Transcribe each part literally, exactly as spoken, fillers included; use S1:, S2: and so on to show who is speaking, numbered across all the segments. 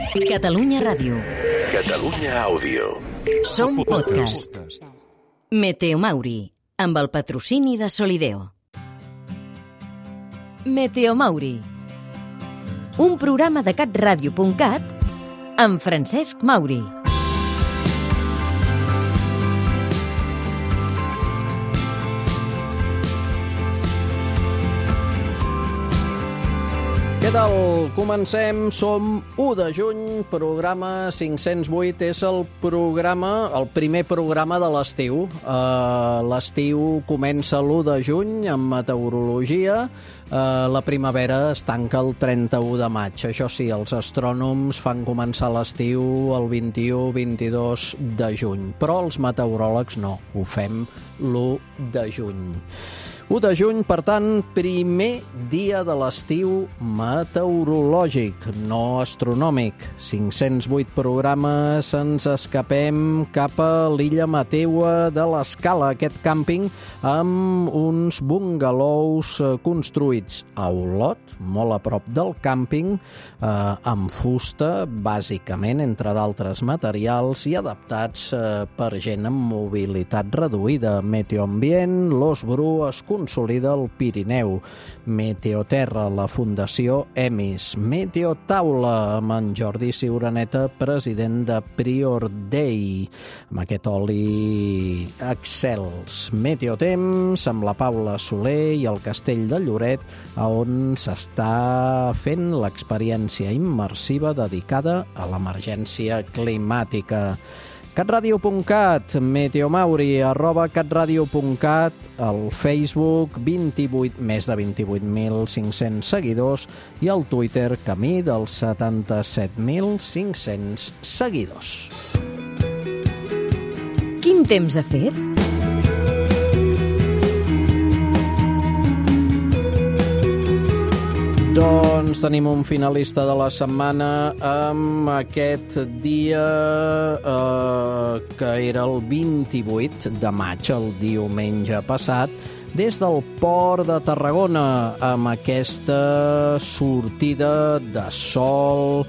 S1: Catalunya Ràdio.
S2: Catalunya Àudio.
S1: Som podcast. Meteomauri, amb el patrocini de Solideo. Meteomauri, un programa de catradio punt cat amb Francesc Mauri.
S3: Què tal? Comencem, som u de juny, programa cinc-cents vuit, és el programa, el primer programa de l'estiu. Uh, l'estiu comença l'u de juny amb meteorologia, uh, la primavera es tanca el trenta-u de maig. Això sí, els astrònoms fan començar l'estiu el vint-i-u vint-i-dos de juny, però els meteoròlegs no, ho fem l'u de juny. u de juny, per tant, primer dia de l'estiu meteorològic, no astronòmic. cinc-cents vuit programes, ens escapem cap a l'illa Mateua de l'Escala, aquest càmping amb uns bungalous construïts a Olot, molt a prop del càmping, eh, amb fusta, bàsicament, entre d'altres materials, i adaptats eh, per gent amb mobilitat reduïda. Meteoambient, l'Os Bru es consolida al Pirineu. Meteoterra, la Fundació Emis. Meteotaula, amb en Jordi Ciuraneta, president de Prior Day, amb aquest oli excels. Meteotemps, amb la Paula Soler i el Castell de Lloret, on s'està fent l'experiència immersiva dedicada a l'emergència climàtica. catradio punt cat, Meteomauri, arroba catradio punt cat, al Facebook, vint-i-vuit, més de vint-i-vuit mil cinc-cents seguidors, i al Twitter, camí dels setanta-set mil cinc-cents seguidors.
S1: Quin temps ha fet?
S3: Doncs tenim un finalista de la setmana amb aquest dia eh, que era el vint-i-vuit de maig, el diumenge passat, des del Port de Tarragona, amb aquesta sortida de sol,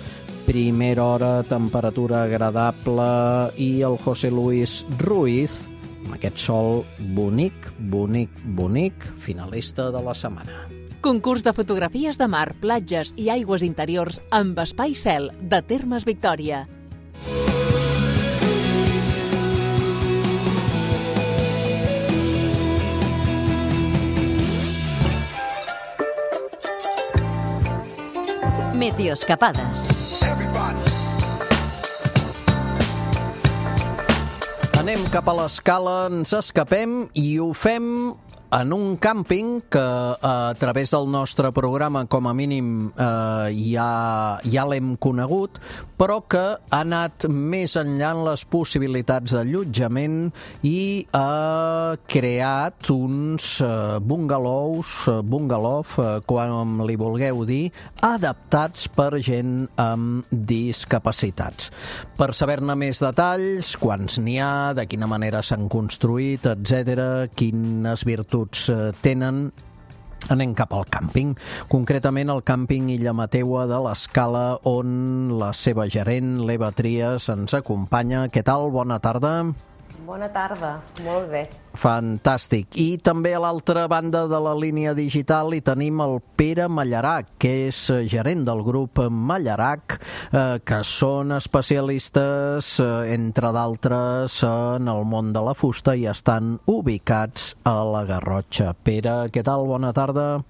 S3: primera hora, temperatura agradable, i el José Luis Ruiz, amb aquest sol bonic, bonic, bonic, finalista de la setmana.
S4: Concurs de fotografies de mar, platges i aigües interiors amb Espai Cel de Termes Victòria.
S1: Meteoescapades.
S3: Anem cap a l'Escala, ens escapem i ho fem en un càmping que eh, a través del nostre programa, com a mínim, eh, ja, ja l'hem conegut, però que ha anat més enllà en les possibilitats d'allotjament i ha creat uns eh, bungalows, bungalow, eh, com li vulgueu dir, adaptats per gent amb discapacitats. Per saber-ne més detalls, quants n'hi ha, de quina manera s'han construït, etcètera, quines virtuts tenen, anem cap al càmping, concretament al càmping Illa Mateua de l'Escala, on la seva gerent, l'Eva Trias, ens acompanya. Què tal? Bona tarda.
S5: Bona tarda, molt bé.
S3: Fantàstic. I també a l'altra banda de la línia digital hi tenim el Pere Mallarac, que és gerent del grup Mallarac, eh, que són especialistes, eh, entre d'altres, en el món de la fusta i estan ubicats a la Garrotxa. Pere, què tal? Bona tarda.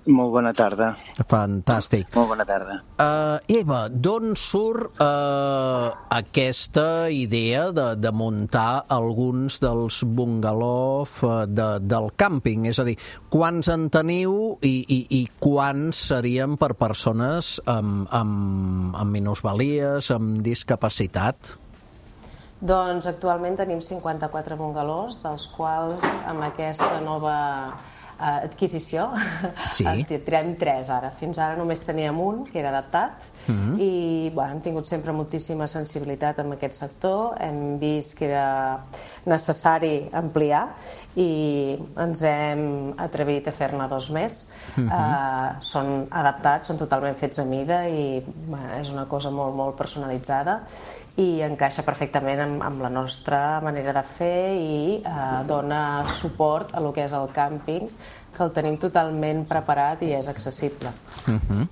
S6: Molt bona tarda.
S3: Fantàstic.
S6: Molt bona tarda.
S3: Uh, Eva, d'on surt uh, aquesta idea de, de muntar alguns dels bungalows uh, de, del càmping? És a dir, quants en teniu i, i, i quants serien per persones amb, amb, amb minusvalies, amb discapacitat?
S5: Doncs actualment tenim cinquanta-quatre bungalós, dels quals amb aquesta nova eh, adquisició
S3: sí.
S5: tirem tres ara. Fins ara només teníem un, que era adaptat, uh-huh. i bueno, hem tingut sempre moltíssima sensibilitat en aquest sector, hem vist que era necessari ampliar i ens hem atrevit a fer-ne dos més. Uh-huh. eh, són adaptats, són totalment fets a mida i bueno, és una cosa molt, molt personalitzada i encaixa perfectament amb, amb la nostra manera de fer i eh, dona suport a lo que és el càmping, que el tenim totalment preparat i és accessible.
S3: Uh-huh.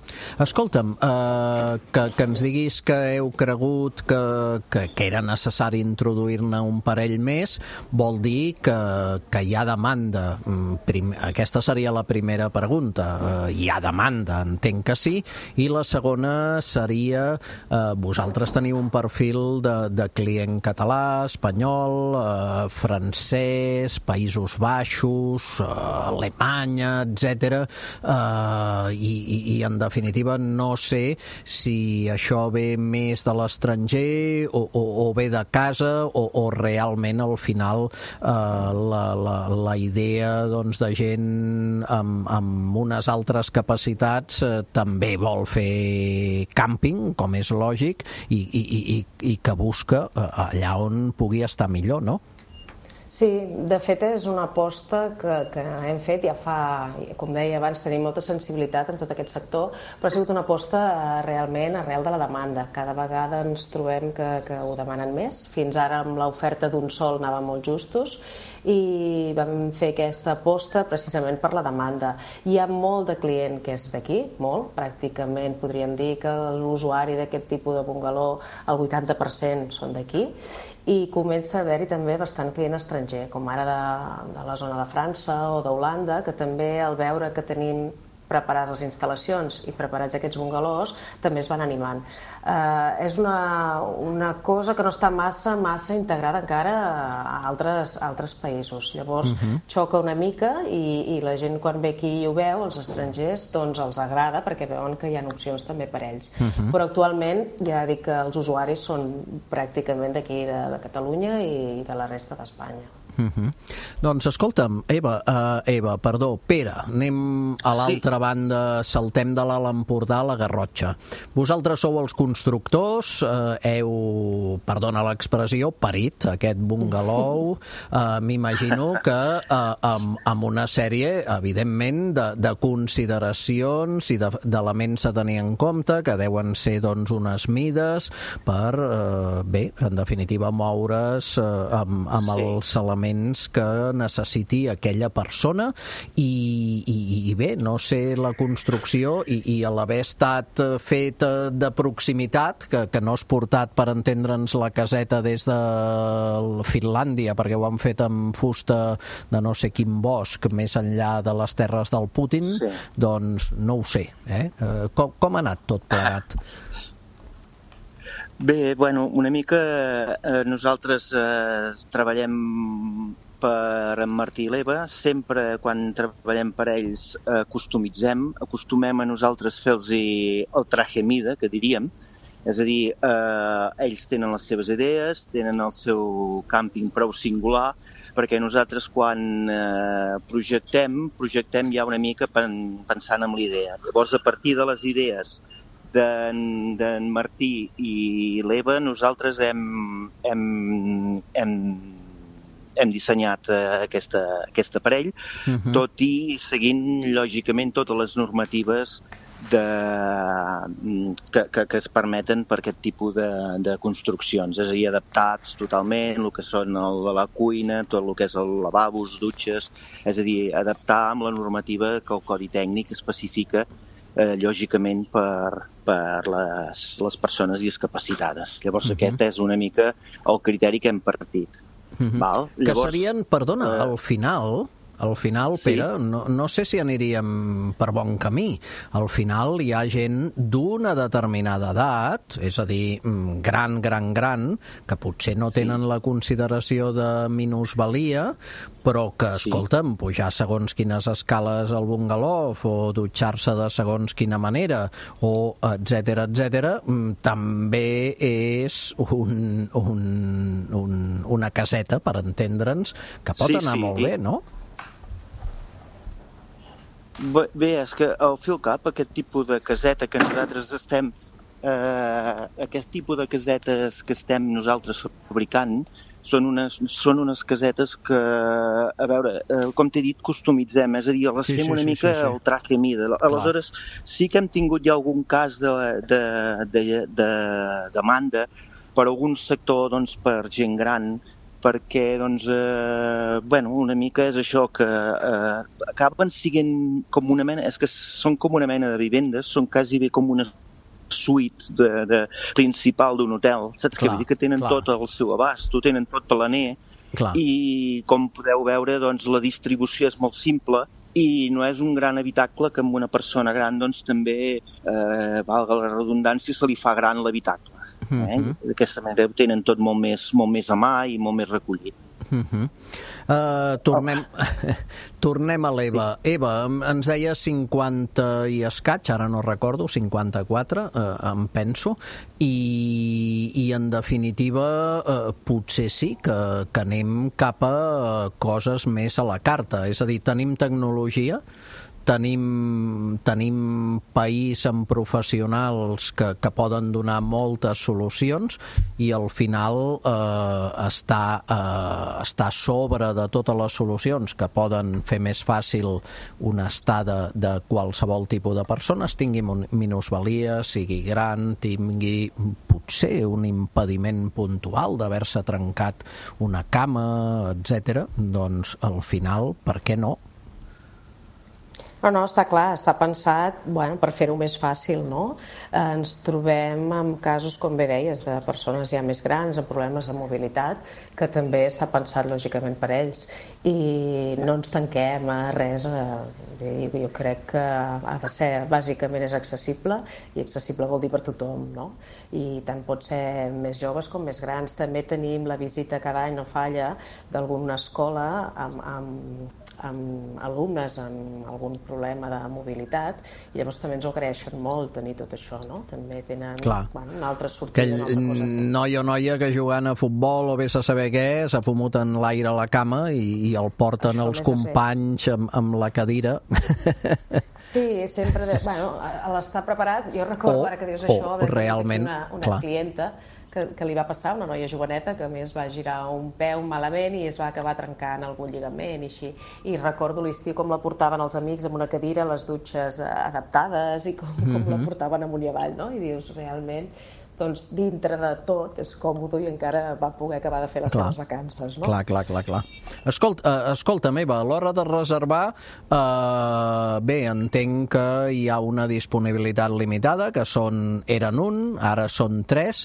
S3: Escolta'm, uh, que, que ens diguis que heu cregut que, que, que era necessari introduir-ne un parell més, vol dir que, que hi ha demanda. Prim, aquesta seria la primera pregunta. Uh, hi ha demanda, entenc que sí, i la segona seria, uh, vosaltres teniu un perfil de, de client català, espanyol, uh, francès, Països Baixos, uh, alemany, etcètera. Uh, i, i, i en definitiva no sé si això ve més de l'estranger o, o, o ve de casa o, o realment al final uh, la, la, la idea doncs, de gent amb, amb unes altres capacitats uh, també vol fer càmping, com és lògic, i, i, i, i que busca uh, allà on pugui estar millor, no?
S5: Sí, de fet és una aposta que, que hem fet ja fa, com deia abans, tenim molta sensibilitat en tot aquest sector, però ha sigut una aposta realment arrel de la demanda. Cada vegada ens trobem que, que ho demanen més. Fins ara amb l'oferta d'un sol anàvem molt justos i vam fer aquesta aposta precisament per la demanda. Hi ha molt de client que és d'aquí, molt, pràcticament podríem dir que l'usuari d'aquest tipus de bungaló, el vuitanta per cent són d'aquí, i comença a haver-hi també bastant client estranger, com ara de, de la zona de França o d'Holanda, que també al veure que tenim preparades les instal·lacions i preparats aquests bungalós, també es van animant. Eh, és una, una cosa que no està massa, massa integrada encara a altres, a altres països. Llavors, uh-huh. xoca una mica i, i la gent quan ve aquí i ho veu, els estrangers, doncs els agrada perquè veuen que hi ha opcions també per ells. Uh-huh. Però actualment ja dic que els usuaris són pràcticament d'aquí, de, de Catalunya i de la resta d'Espanya.
S3: Uh-huh. Doncs escolta'm, Eva, uh, Eva, perdó, Pere, anem a l'altra sí. banda, saltem de l'Alt Empordà a la Garrotxa. Vosaltres sou els constructors, uh, heu, perdona l'expressió, parit aquest bungalou, uh, m'imagino que uh, amb, amb una sèrie, evidentment, de, de consideracions i d'elements a tenir en compte, que deuen ser doncs unes mides per, uh, bé, en definitiva, moure's uh, amb, amb sí. els elements que necessiti aquella persona i, i, i bé, no sé la construcció i, i a l'haver estat fet de proximitat, que, que no has portat per entendre'ns la caseta des de Finlàndia, perquè ho han fet amb fusta de no sé quin bosc més enllà de les terres del Putin, sí. doncs no ho sé. Eh? Com, com ha anat tot plegat?
S6: Bé, bueno, una mica eh, nosaltres eh, treballem per en Martí i l'Eva, sempre quan treballem per ells eh, customitzem, acostumem a nosaltres fer-los el traje mida, que diríem, és a dir, eh, ells tenen les seves idees, tenen el seu càmping prou singular, perquè nosaltres quan eh, projectem, projectem ja una mica pensant en l'idea. Llavors, a partir de les idees d'en Martí i l'Eva, nosaltres hem, hem, hem, hem dissenyat uh, aquesta, aquest aparell, uh-huh. tot i seguint, lògicament, totes les normatives de, que, que, que es permeten per aquest tipus de, de construccions, és a dir, adaptats totalment, el que són el, la cuina, tot el que és el lavabos, dutxes, és a dir, adaptar amb la normativa que el Codi Tècnic especifica Eh, lògicament per, per les, les persones discapacitades. Llavors uh-huh. aquest és una mica el criteri que hem partit. Uh-huh. Val? Llavors,
S3: que serien, perdona, uh, al final al final,
S6: Sí.
S3: Pere, no, no sé si aniríem per bon camí. Al final hi ha gent d'una determinada edat, és a dir, gran, gran, gran, que potser no tenen sí. la consideració de minusvalia, però que,
S6: Sí.
S3: escolta'm, pujar segons quines escales al bungalov o dutxar-se de segons quina manera, o etcètera, etcètera, també és un, un, un, una caseta, per entendre'ns, que pot
S6: sí,
S3: anar
S6: sí.
S3: molt bé, no?
S6: Bé, bé, és que al fi al cap aquest tipus de caseta que nosaltres estem, eh, aquest tipus de casetes que estem nosaltres fabricant, són unes, són unes casetes que, a veure, eh, com t'he dit, customitzem, és a dir, les
S3: Sí,
S6: fem
S3: sí,
S6: una
S3: sí,
S6: mica
S3: sí, sí.
S6: al traje mida. Aleshores, sí que hem tingut ja algun cas de, de, de, de demanda per algun sector, doncs, per gent gran, perquè, doncs, eh, bueno, una mica és això, que eh, acaben siguent com una mena, és que són com una mena de vivendes, són quasi bé com una suite de, de principal d'un hotel, saps
S3: Clar,
S6: què vull dir? Que tenen
S3: clar.
S6: tot al seu abast, ho tenen tot planer,
S3: Clar.
S6: i com podeu veure, doncs, la distribució és molt simple i no és un gran habitacle que amb una persona gran, doncs, també, eh, valga la redundància, se li fa gran l'habitacle. Eh?
S3: Mhm.
S6: D'aquesta manera ho tenen tot molt més, molt més a mà i molt més recollit.
S3: Uh-huh. Uh, tornem, tornem a l'Eva. Sí. Eva, em- ens deia cinquanta i escaig, ara no recordo, cinquanta-quatre, uh, em penso, i, i en definitiva uh, potser sí que, que anem cap a uh, coses més a la carta, és a dir, tenim tecnologia, tenim, tenim país amb professionals que, que poden donar moltes solucions i al final eh, està, eh, està a sobre de totes les solucions que poden fer més fàcil una estada de qualsevol tipus de persones, tingui mon- minusvalia, sigui gran, tingui potser un impediment puntual d'haver-se trencat una cama, etcètera. Doncs al final, per què no?
S5: No, no, està clar, està pensat, bueno, per fer-ho més fàcil, no? Eh, ens trobem amb casos, com bé deies, de persones ja més grans, amb problemes de mobilitat, que també està pensat lògicament per ells. I no ens tanquem a res, eh, jo crec que ha de ser, bàsicament és accessible, i accessible vol dir per tothom, no? I tant pot ser més joves com més grans. També tenim la visita cada any, no falla, d'alguna escola amb, amb amb alumnes amb algun problema de mobilitat, i llavors també ens ho agraeixen molt tenir tot això, no? També tenen, bueno, una altra sortida,
S3: Aquell
S5: una altra cosa a fer.
S3: noi o noia que jugant a futbol o vés a saber què, s'ha fumut en l'aire a la cama i, i el porten
S5: Això
S3: els
S5: més a fer.
S3: companys amb, amb la cadira.
S5: Sí, sempre, de, bueno, a l'estar preparat, jo recordo
S3: O-
S5: ara que dius
S3: o
S5: això, de
S3: realment,
S5: una, una
S3: clar.
S5: clienta que, que li va passar, una noia joveneta que a més va girar un peu malament i es va acabar trencant algun lligament i així. I recordo l'estiu com la portaven els amics amb una cadira, les dutxes adaptades i com, com la portaven amunt i avall, no? I dius, realment, doncs dintre de tot és còmode i encara va poder acabar de fer les
S3: Clar.
S5: seves vacances, no?
S3: Clar, clar, clar, clar. Escolta, uh, escolta Eva, a l'hora de reservar, uh, bé, entenc que hi ha una disponibilitat limitada, que són, eren un, ara són tres,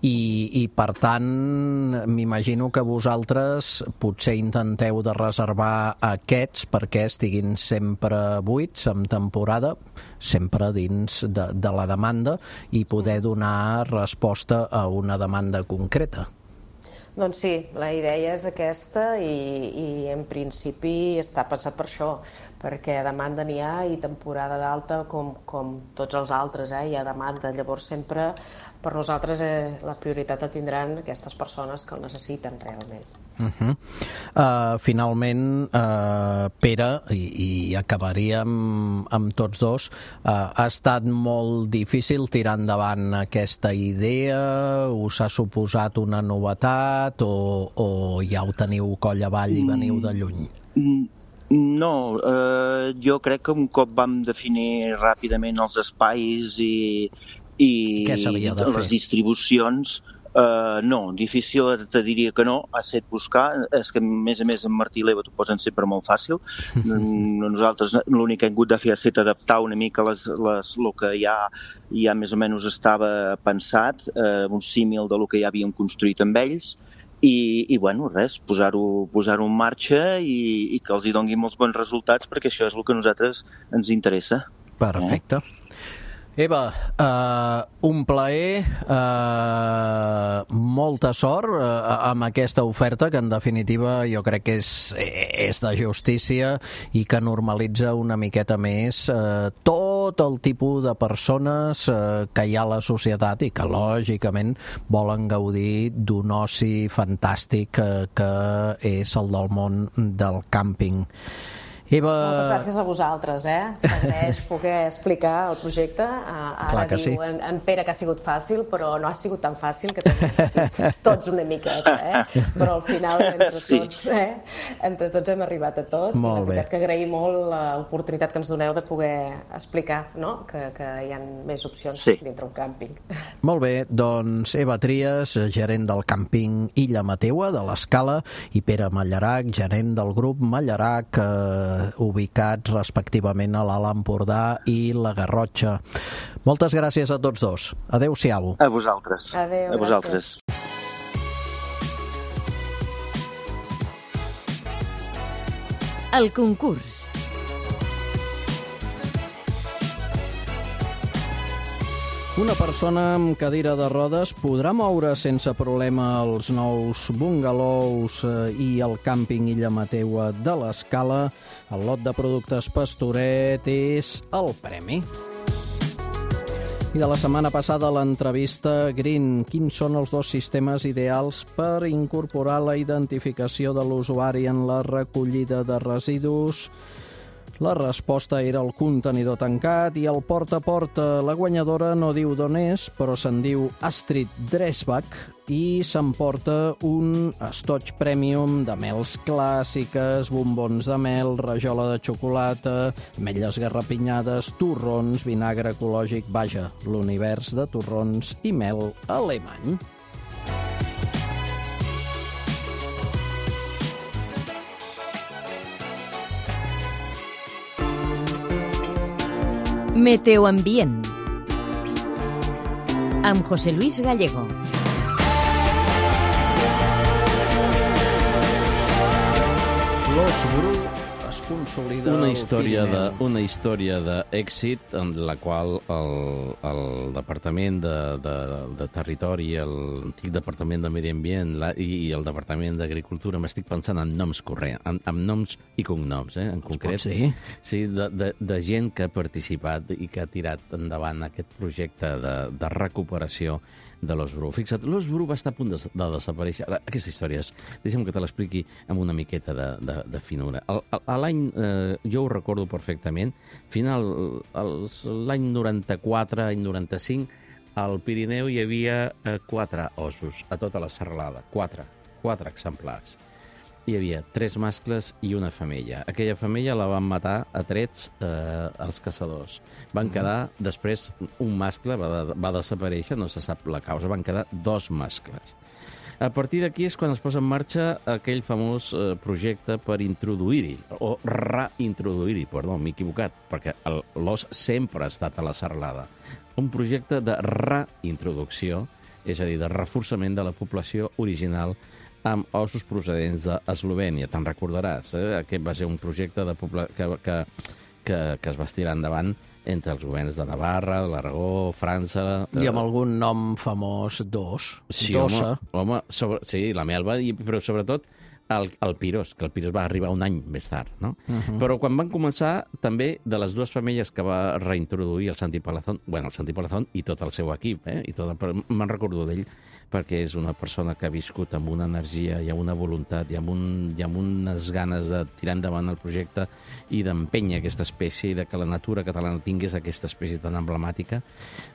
S3: i, i per tant, m'imagino que vosaltres potser intenteu de reservar aquests perquè estiguin sempre buits, en temporada, sempre dins de, de la demanda, i poder donar resposta a una demanda concreta.
S5: Doncs sí, la idea és aquesta i, i en principi està pensat per això, perquè demanda n'hi ha i temporada d'alta com, com tots els altres, eh? Hi ha demanda, llavors sempre per nosaltres eh, la prioritat la tindran aquestes persones que el necessiten realment.
S3: Uh-huh. Uh, finalment, uh, Pere, i, i acabaríem amb tots dos, uh, ha estat molt difícil tirar endavant aquesta idea? Us ha suposat una novetat o, o ja ho teniu coll avall i veniu de lluny?
S6: No, eh, jo crec que un cop vam definir ràpidament els espais i, i
S3: Què s'havia de fer?
S6: les distribucions, Uh, no, difícil te diria que no, ha set buscar, és que a més a més en Martí i l'Eva t'ho posen sempre molt fàcil. Nosaltres l'únic que hem hagut de fer ha estat adaptar una mica les, les, el que ja, ja més o menys estava pensat, uh, un símil de lo que ja havíem construït amb ells, i, i bueno, res, posar-ho posar-ho en marxa i, i que els hi doni molts bons resultats, perquè això és el que a nosaltres ens interessa.
S3: Perfecte. Eh? Eva, uh, un plaer, uh, molta sort uh, amb aquesta oferta que en definitiva jo crec que és, és de justícia i que normalitza una miqueta més uh, tot el tipus de persones uh, que hi ha a la societat i que lògicament volen gaudir d'un oci fantàstic uh, que és el del món del càmping. Eva...
S5: Moltes gràcies a vosaltres, eh? S'agraeix poder explicar el projecte. Ara
S3: Clar que
S5: diu
S3: sí.
S5: en, en Pere que ha sigut fàcil, però no ha sigut tan fàcil, que també hem patit tots una miqueta, eh? Però al final, entre
S6: Sí.
S5: tots, eh? Entre tots hem arribat a tot.
S3: Molt
S5: I la veritat
S3: bé.
S5: que agraïm molt l'oportunitat que ens doneu de poder explicar, no? que, que hi ha més opcions
S6: Sí.
S5: dintre un càmping.
S3: Molt bé, doncs Eva Trias, gerent del càmping Illa Mateua de l'Escala, i Pere Mallarac, gerent del grup Mallarac, eh, ubicats respectivament a l'Alt Empordà i la Garrotxa. Moltes gràcies a tots dos. Adéu-siau.
S6: A vosaltres.
S5: Adéu,
S6: a vosaltres.
S1: El concurs.
S3: Una persona amb cadira de rodes podrà moure sense problema els nous bungalous eh, i el càmping Illa Mateua de l'Escala. El lot de productes Pastoret és el premi. I de la setmana passada l'entrevista Green. Quins són els dos sistemes ideals per incorporar la identificació de l'usuari en la recollida de residus? La resposta era el contenidor tancat i el porta a porta. La guanyadora no diu d'on és, però se'n diu Astrid Dresbach i s'emporta un estoig premium de mels clàssiques, bombons de mel, rajola de xocolata, ametlles garrapinyades, torrons, vinagre ecològic, vaja, l'univers de torrons i mel alemany.
S1: Meteoambient amb José Luis Gallego.
S3: L'Os Bru es consolida
S7: Una
S3: al
S7: història de,
S3: Pirineu.
S7: una història d'èxit en la qual el, el Departament de, de, de Territori, l'antic Departament de Medi Ambient la, i, i el Departament d'Agricultura, m'estic pensant en noms corrents, en, en noms i cognoms, eh, en concret.
S3: Pot ser?
S7: Sí, de, de, de gent que ha participat i que ha tirat endavant aquest projecte de, de recuperació de l'Os Bru. Fixa't, l'Os Bru va estar a punt de, de desaparèixer. Aquesta història és, deixa'm que te l'expliqui amb una miqueta de, de, de finura. El, el, a l'any, eh, jo ho recordo perfectament, final, els- l'any noranta-quatre, any noranta-cinc, al Pirineu hi havia eh, quatre ossos a tota la serralada. Quatre. Quatre exemplars. Hi havia tres mascles i una femella. Aquella femella la van matar a trets eh, els caçadors. Van quedar, després, un mascle va, de, va desaparèixer, no se sap la causa, van quedar dos mascles. A partir d'aquí és quan es posa en marxa aquell famós eh, projecte per introduir-hi, o reintroduir-hi, perdó, m'he equivocat, perquè el- l'os sempre ha estat a la serralada. Un projecte de reintroducció, és a dir, de reforçament de la població original amb ossos procedents d'Eslovènia. Te'n recordaràs, eh? Aquest va ser un projecte de pobla... que, que, que, que es va estirar endavant entre els governs de Navarra, de l'Aragó, França...
S3: I amb algun nom famós, dos.
S7: Sí,
S3: Dossa.
S7: home, home sobre, sí, la melva, i, però sobretot el, el Piros, que el Piros va arribar un any més tard, no? Uh -huh. Però quan van començar, també, de les dues femelles que va reintroduir el Santi Palazón, bueno, el Santi Palazón i tot el seu equip, eh? I tot el, però me'n recordo d'ell, perquè és una persona que ha viscut amb una energia i amb una voluntat i amb, un, i amb unes ganes de tirar endavant el projecte i d'empènyer aquesta espècie i de que la natura catalana tingués aquesta espècie tan emblemàtica.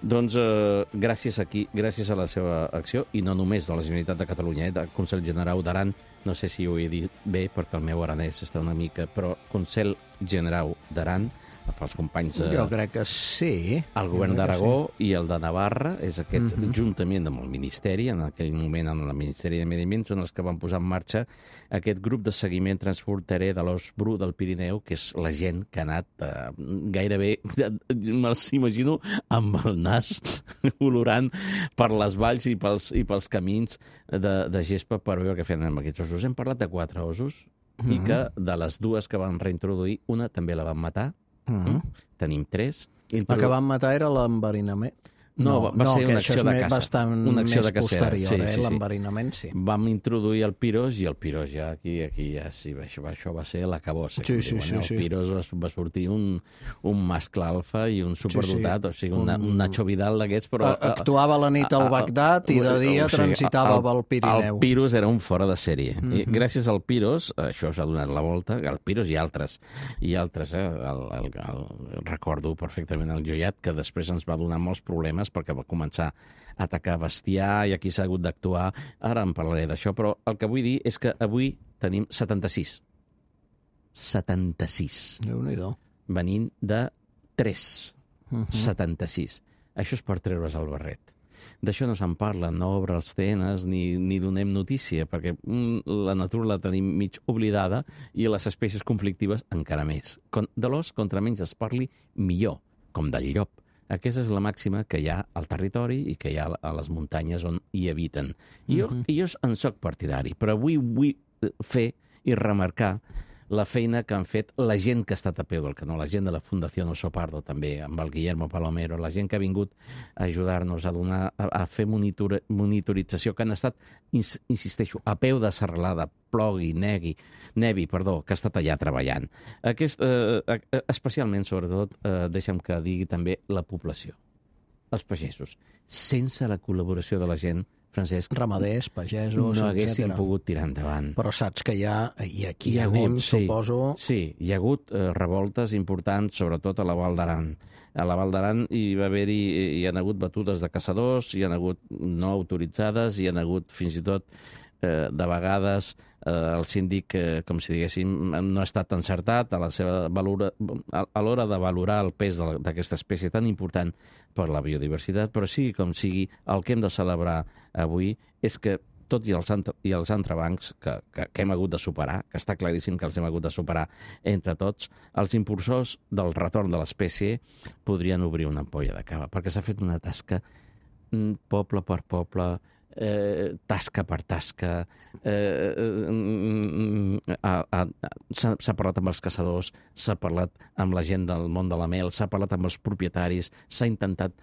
S7: Doncs eh, gràcies, aquí, gràcies a la seva acció, i no només de la Generalitat de Catalunya, eh, del Consell Generau d'Aran, no sé si ho he dit bé perquè el meu aranès està una mica, però Consell Generau d'Aran, pels companys...
S3: Jo crec que sí.
S7: El govern d'Aragó sí. i el de Navarra, és aquest, uh-huh. juntament amb el Ministeri, en aquell moment amb el Ministeri de Medi Ambient, són els que van posar en marxa aquest grup de seguiment transfronterer de l'os bru del Pirineu, que és la gent que ha anat eh, gairebé, me'ls imagino, amb el nas olorant per les valls i pels, i pels camins de, de gespa per veure què feien amb aquests ossos. Hem parlat de quatre ossos, uh-huh. i que de les dues que van reintroduir, una també la van matar. Uh-huh. Tenim tres.
S3: La que van matar era l'enverinament.
S7: No, va, va
S3: no,
S7: ser una acció de caça.
S3: Bastant
S7: una acció
S3: més
S7: de cacera.
S3: posterior,
S7: sí,
S3: eh?
S7: sí,
S3: L'enverinament, sí.
S7: Vam introduir el piros i el piros ja aquí, aquí ja sí, això, això va ser la cabossa.
S3: Sí, sí, sí,
S7: el
S3: sí.
S7: piros va, va sortir un, un mascle alfa i un superdotat, sí, sí. o sigui, un, un Nacho Vidal d'aquests, però...
S3: Actuava la nit al Bagdad i de dia o sigui, transitava pel Pirineu.
S7: El piros era un fora de sèrie. Mm-hmm. I gràcies al piros, això s'ha donat la volta, el piros i altres, i altres, eh? El, el, el, el, recordo perfectament el joiat, que després ens va donar molts problemes perquè va començar a atacar bestiar i aquí s'ha hagut d'actuar. Ara en parlaré d'això, però el que vull dir és que avui tenim setanta-sis. setanta-sis.
S3: Déu-n'hi-do.
S7: Venint de tres.
S3: Uh-huh.
S7: setanta-sis. Això és per treure's el barret. D'això no se'n parla, no obre els T Ns ni, ni donem notícia, perquè mm, la natura la tenim mig oblidada i les espècies conflictives encara més. De l'os, contra menys es parli, millor, com del llop. Aquesta és la màxima que hi ha al territori i que hi ha a les muntanyes on hi habiten. I jo, uh-huh. i jo en soc partidari, però avui vull fer i remarcar la feina que han fet la gent que ha estat a peu del canó, la gent de la Fundació Oso Pardo també, amb el Guillermo Palomero, la gent que ha vingut a ajudar-nos a donar, a, a fer monitor, monitorització, que han estat, ins, insisteixo, a peu de serralada, plogui, negui, nevi, perdó, que ha estat allà treballant. Aquest, eh, especialment, sobretot, eh, deixa'm que digui també la població, els pagesos. Sense la col·laboració de la gent, Francesc,
S3: ramaders, pagesos,
S7: no haguéssim
S3: etcètera.
S7: pogut tirar endavant.
S3: Però saps que hi ha, i aquí
S7: hi ha
S3: anem,
S7: hagut, sí,
S3: suposo...
S7: Sí, hi ha hagut eh, revoltes importants, sobretot a la Val d'Aran. A la Val d'Aran hi va haver-hi, hi ha hagut batudes de caçadors, hi ha hagut no autoritzades, hi ha hagut fins i tot eh, de vegades eh, el síndic, eh, com si diguéssim, no ha estat encertat a la seva valora, a, a l'hora de valorar el pes d'aquesta espècie tan important per la biodiversitat, però sí, com sigui, el que hem de celebrar avui és que tot i els, entre, i els entrebancs que, que, que hem hagut de superar, que està claríssim que els hem hagut de superar entre tots, els impulsors del retorn de l'espècie podrien obrir una ampolla de cava, perquè s'ha fet una tasca poble per poble, eh, tasca per tasca, eh, eh, s'ha parlat amb els caçadors, s'ha parlat amb la gent del món de la mel, s'ha parlat amb els propietaris, s'ha intentat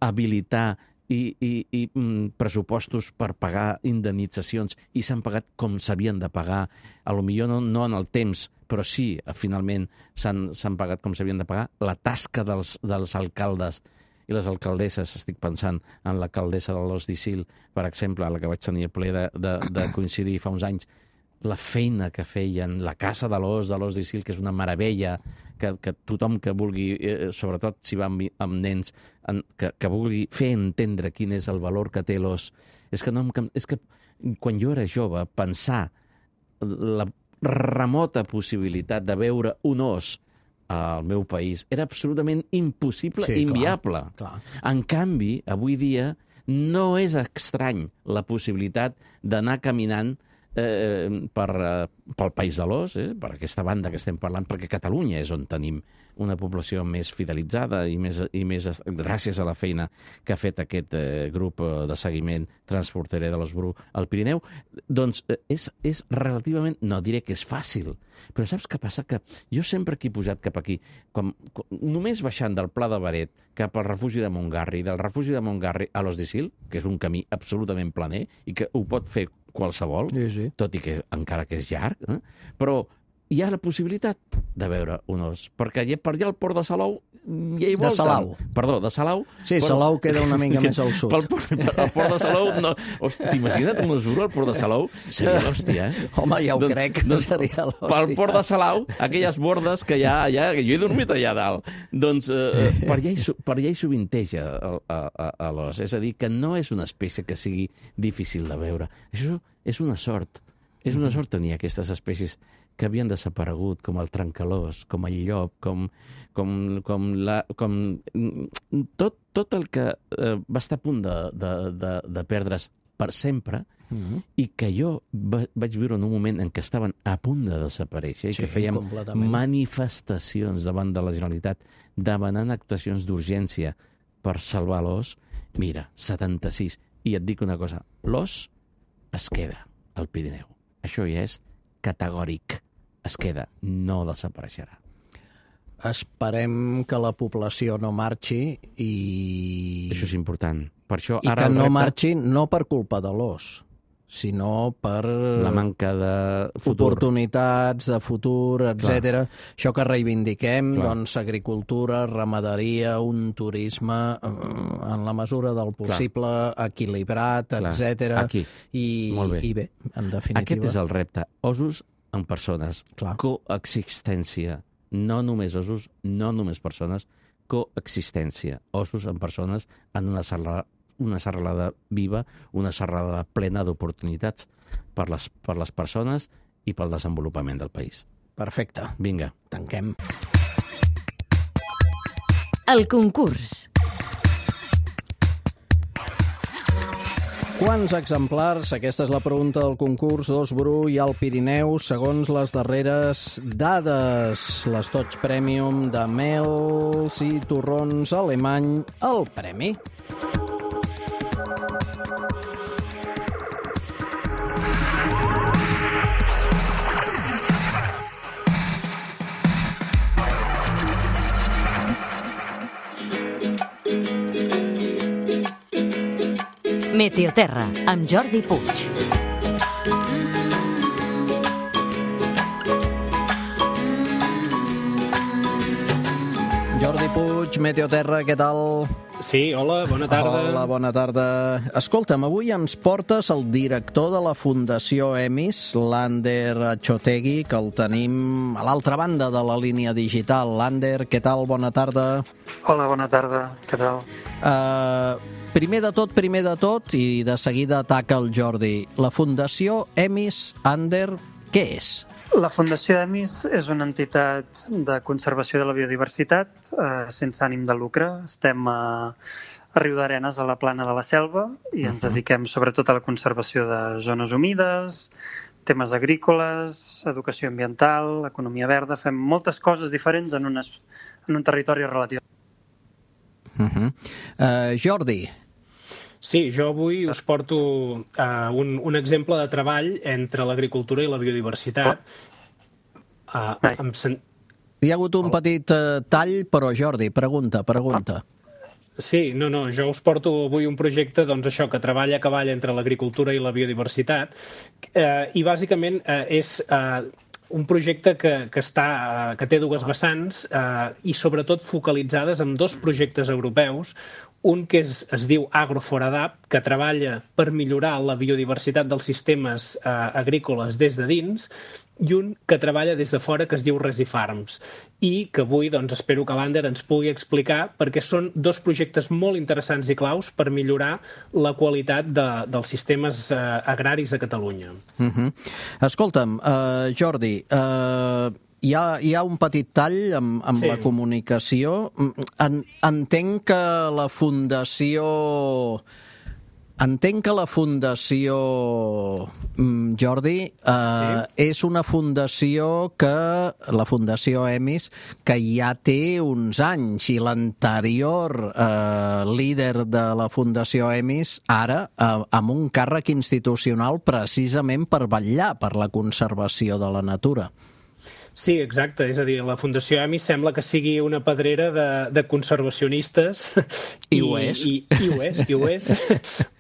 S7: habilitar i, i, i mm, pressupostos per pagar indemnitzacions i s'han pagat com s'havien de pagar, a lo millor no, no en el temps, però sí, finalment s'han pagat com s'havien de pagar. La tasca dels, dels alcaldes i les alcaldesses, estic pensant en l'alcaldessa de l'Os d'Isil, per exemple, a la que vaig tenir el plaer de, de, de coincidir fa uns anys, la feina que feien, la casa de l'Os, de l'Os d'Isil, que és una meravella, que, que tothom que vulgui, eh, sobretot si va amb, amb nens, en, que, que vulgui fer entendre quin és el valor que té l'os. És que, no, és que quan jo era jove, pensar la remota possibilitat de veure un os al meu país era absolutament impossible, sí, inviable.
S3: Clar, clar.
S7: En canvi, avui dia no és estrany la possibilitat d'anar caminant eh, per, eh, pel País de l'Os, eh, per aquesta banda que estem parlant, perquè Catalunya és on tenim una població més fidelitzada i més, i més gràcies a la feina que ha fet aquest eh, grup de seguiment transporterer de l'os bru al Pirineu, doncs eh, és, és relativament, no diré que és fàcil, però saps què passa? Que jo sempre que he pujat cap aquí, com, com, només baixant del Pla de Baret cap al refugi de Montgarri, del refugi de Montgarri a l'Os d'Isil, que és un camí absolutament planer i que ho pot fer qualsevol,
S3: sí, sí.
S7: tot i que encara que és llarg, eh? Però hi ha la possibilitat de veure un os, perquè per allà al port de Salou ja hi volten.
S3: De Salau.
S7: Perdó, de Salau.
S3: Sí, però... Salau queda una mica més al sud.
S7: Pel, pel, el port de Salou, no. T'imagina't un os bru al port de Salou? Seria l'hòstia, eh?
S3: Home, ja ho
S7: doncs,
S3: crec,
S7: doncs,
S3: seria l'hòstia.
S7: Pel port de Salau, aquelles bordes que hi ha allà, que jo he dormit allà dalt, doncs eh, per, allà hi, per allà hi sovinteja l'os. És a dir, que no és una espècie que sigui difícil de veure. Això és una sort És una sort tenir aquestes espècies que havien desaparegut, com el trencalós, com el llop, com, com, com, la, com tot, tot el que eh, va estar a punt de, de, de, de perdre's per sempre, mm-hmm. i que jo va, vaig viure en un moment en què estaven a punt de desaparèixer, i sí, que fèiem manifestacions davant de la Generalitat demanant actuacions d'urgència per salvar l'os. Mira, setanta-sis. I et dic una cosa, l'os es queda al Pirineu. Això ja és categòric. Es queda, no desapareixerà.
S3: Esperem que la població no marxi i...
S7: Això és important. Per això,
S3: I
S7: ara
S3: que no
S7: repte...
S3: marxi no per culpa de l'os, sinó per...
S7: la manca de futur.
S3: Oportunitats de futur, etcètera. Això que reivindiquem,
S7: Clar.
S3: doncs, agricultura, ramaderia, un turisme en la mesura del possible, Clar. equilibrat, etcètera.
S7: Aquí.
S3: I,
S7: Molt bé.
S3: I bé, en definitiva...
S7: Aquest és el repte. Ossos en persones.
S3: Clar.
S7: Coexistència. No només ossos, no només persones, coexistència. Ossos en persones en una serralada, una serralada viva, una serralada plena d'oportunitats per les, per les persones i pel desenvolupament del país.
S3: Perfecte.
S7: Vinga.
S3: Tanquem.
S1: El concurs.
S3: Quants exemplars, aquesta és la pregunta del concurs d'Os Bru i al Pirineu, segons les darreres dades, les Tots Premium de mels i torrons alemany, el premi.
S1: Meteoterra, amb Jordi Puig.
S3: Jordi Puig, Meteoterra, què tal?
S8: Sí, hola, bona tarda.
S3: Hola, bona tarda. Escolta'm, avui ens portes el director de la Fundació EMIS, l'Ander Chotegui, que el tenim a l'altra banda de la línia digital. Ander, què tal? Bona tarda.
S9: Hola, bona tarda. Què tal?
S3: Uh, primer de tot, primer de tot, i de seguida ataca el Jordi. La Fundació EMIS, Ander, què és?
S9: La Fundació EMIS és una entitat de conservació de la biodiversitat eh, sense ànim de lucre. Estem a, a Riudarenes, a la Plana de la Selva, i ens dediquem sobretot a la conservació de zones humides, temes agrícoles, educació ambiental, economia verda. Fem moltes coses diferents en, unes, en un territori relatiu.
S3: Uh-huh. Uh, Jordi.
S8: Sí, jo avui us porto uh, un, un exemple de treball entre l'agricultura i la biodiversitat. Uh, amb sen...
S3: Hi ha hagut un petit uh, tall, però Jordi, pregunta, pregunta.
S8: Sí, no, no, jo us porto avui un projecte, doncs això, que treballa a cavall entre l'agricultura i la biodiversitat, uh, i bàsicament uh, és... Uh, un projecte que, que, està, que té dues vessants eh, i sobretot focalitzades en dos projectes europeus, un que és, es diu AgroForadap, que treballa per millorar la biodiversitat dels sistemes eh, agrícoles des de dins, i un que treballa des de fora que es diu Resifarms, i que avui doncs, espero que l'Ander ens pugui explicar, perquè són dos projectes molt interessants i claus per millorar la qualitat de, dels sistemes eh, agraris a Catalunya.
S3: Uh-huh. Escolta'm, uh, Jordi, uh, hi, ha, hi ha un petit tall amb, amb sí. la comunicació. En, entenc que la Fundació... Entenc que la Fundació, Jordi, eh, sí. és una fundació que, la Fundació EMIS, que ja té uns anys, i l'anterior eh, líder de la Fundació EMIS, ara, eh, amb un càrrec institucional precisament per vetllar per la conservació de la natura.
S8: Sí, exacte. És a dir, la Fundació EMIS sembla que sigui una pedrera de, de conservacionistes.
S3: I, I ho és.
S8: I, i ho és, i ho és.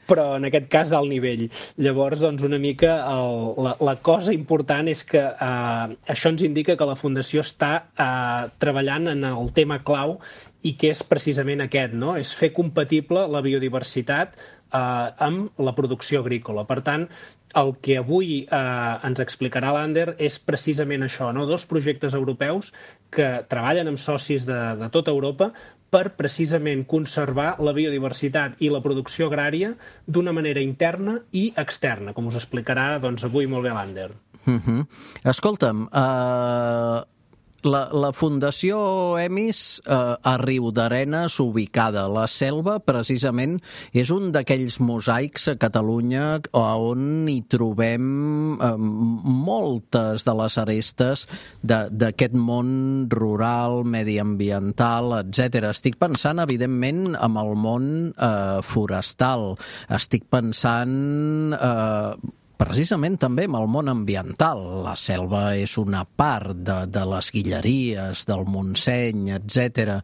S8: Però en aquest cas d'alt nivell. Llavors, doncs, una mica el, la, la cosa important és que eh, això ens indica que la Fundació està eh, treballant en el tema clau, i que és precisament aquest, no? És fer compatible la biodiversitat eh, amb la producció agrícola. Per tant, el que avui eh, ens explicarà l'Ander és precisament això, no? Dos projectes europeus que treballen amb socis de, de tota Europa per precisament conservar la biodiversitat i la producció agrària d'una manera interna i externa, com us explicarà doncs, avui molt bé l'Ander.
S3: Uh-huh. Escolta'm, uh, la, la Fundació EMIS uh, a Riudarenes, ubicada a la Selva, precisament és un d'aquells mosaics a Catalunya on hi trobem uh, moltes de les arestes d'aquest món rural, mediambiental, etcètera. Estic pensant, evidentment, en el món uh, forestal. Estic pensant... Uh, precisament també amb el món ambiental. La selva és una part de, de les Guilleries, del Montseny, etcètera.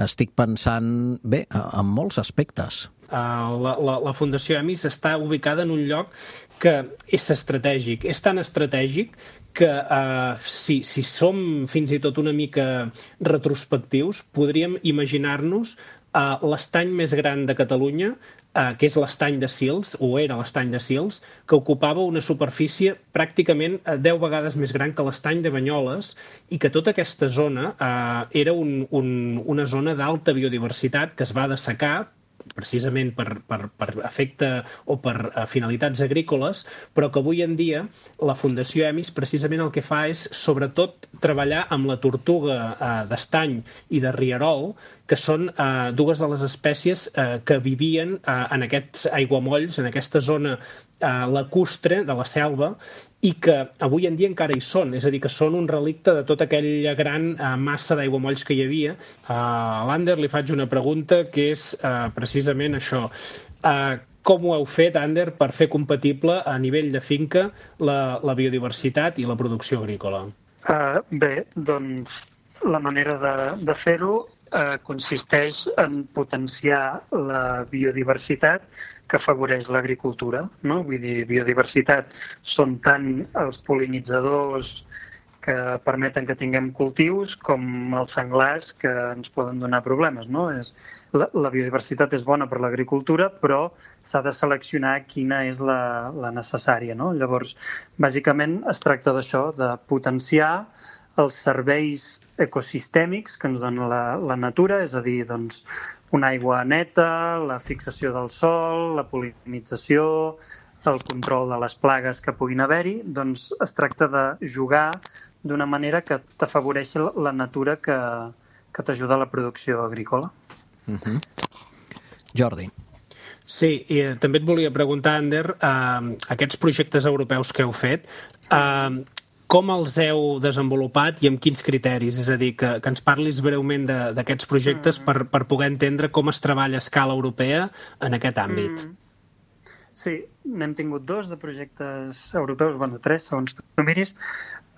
S3: Estic pensant, bé, en molts aspectes.
S8: Uh, la, la, la Fundació EMIS està ubicada en un lloc que és estratègic. És tan estratègic que uh, si, si som fins i tot una mica retrospectius, podríem imaginar-nos uh, l'estany més gran de Catalunya, Uh, que és l'estany de Sils, o era l'estany de Sils, que ocupava una superfície pràcticament uh, deu vegades més gran que l'estany de Banyoles i que tota aquesta zona uh, era un, un, una zona d'alta biodiversitat que es va dessecar precisament per, per, per efecte o per uh, finalitats agrícoles, però que avui en dia la Fundació EMIS precisament el que fa és sobretot treballar amb la tortuga uh, d'estany i de rierol, que són uh, dues de les espècies uh, que vivien uh, en aquests aiguamolls, en aquesta zona uh, lacustre de la selva, i que avui en dia encara hi són, és a dir, que són un relicte de tota aquella gran uh, massa d'aiguamolls que hi havia. Uh, a l'Ander li faig una pregunta que és uh, precisament això. Uh, com ho heu fet, Ander, per fer compatible a nivell de finca la, la biodiversitat i la producció agrícola?
S9: Uh, bé, doncs la manera de, de fer-ho uh, consisteix en potenciar la biodiversitat que afavoreix l'agricultura, no? Vull dir, biodiversitat són tant els pol·linitzadors que permeten que tinguem cultius com els senglars que ens poden donar problemes, no? És, la, la biodiversitat és bona per l'agricultura, però s'ha de seleccionar quina és la, la necessària, no? Llavors, bàsicament es tracta d'això, de potenciar els serveis ecosistèmics que ens dona la, la natura, és a dir, doncs, una aigua neta, la fixació del sol, la pol·linització, el control de les plagues que puguin haver-hi, doncs es tracta de jugar d'una manera que t'afavoreixi la natura que, que t'ajuda a la producció agrícola.
S3: Uh-huh. Jordi.
S8: Sí, i eh, també et volia preguntar, Ander, eh, aquests projectes europeus que heu fet, eh, com els heu desenvolupat i amb quins criteris? És a dir, que, que ens parlis breument d'aquests projectes mm. per, per poder entendre com es treballa a escala europea en aquest àmbit. Mm.
S9: Sí, n'hem tingut dos de projectes europeus, bueno, tres, segons tu miris.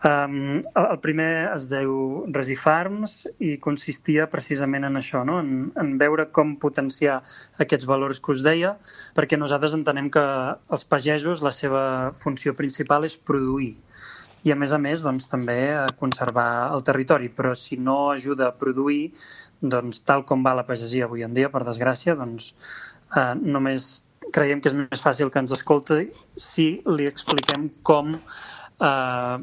S9: Um, el primer es diu Resifarms i consistia precisament en això, no? en, en veure com potenciar aquests valors que us deia, perquè nosaltres entenem que els pagesos, la seva funció principal és produir. I, a més a més, doncs, també a conservar el territori. Però si no ajuda a produir, doncs, tal com va la pagesia avui en dia, per desgràcia, doncs, eh, només creiem que és més fàcil que ens escolti si li expliquem com eh,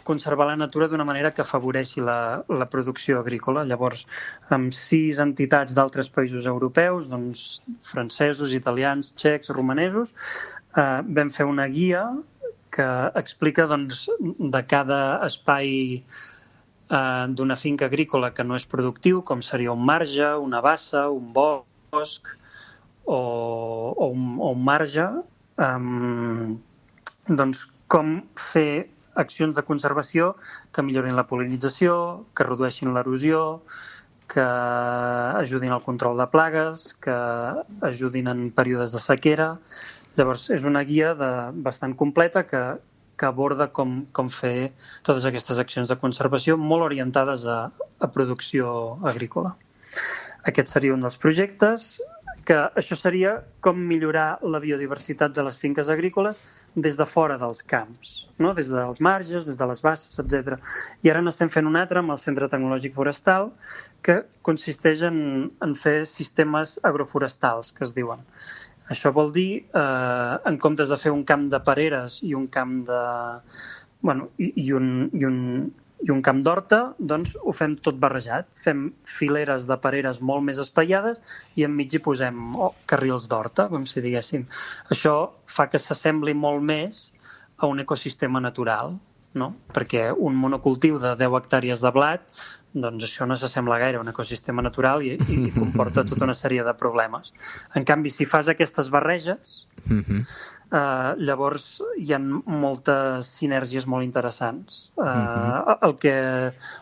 S9: conservar la natura d'una manera que afavoreixi la, la producció agrícola. Llavors, amb sis entitats d'altres països europeus, doncs, francesos, italians, txecs, romanesos, eh, vam fer una guia que explica doncs, de cada espai eh, d'una finca agrícola que no és productiu, com seria un marge, una bassa, un bosc o, o, un, o un marge, eh, doncs com fer accions de conservació que millorin la pol·linització, que redueixin l'erosió, que ajudin al control de plagues, que ajudin en períodes de sequera. Llavors, és una guia de, bastant completa que, que aborda com, com fer totes aquestes accions de conservació molt orientades a, a producció agrícola. Aquest seria un dels projectes, que això seria com millorar la biodiversitat de les finques agrícoles des de fora dels camps, no? Des dels marges, des de les basses, etcètera. I ara n'estem fent un altre amb el Centre Tecnològic Forestal, que consisteix en, en fer sistemes agroforestals, que es diuen. Això vol dir, eh, en comptes de fer un camp de pereres i un camp de... Bueno, i, i un... I un i un camp d'horta, doncs ho fem tot barrejat. Fem fileres de pereres molt més espaiades i enmig hi posem oh, carrils d'horta, com si diguéssim. Això fa que s'assembli molt més a un ecosistema natural, no? Perquè un monocultiu de deu hectàrees de blat, doncs això no s'assembla gaire a un ecosistema natural i, i comporta tota una sèrie de problemes. En canvi, si fas aquestes barreges, mm-hmm. Uh, llavors hi ha moltes sinergies molt interessants. Uh, uh-huh. el que,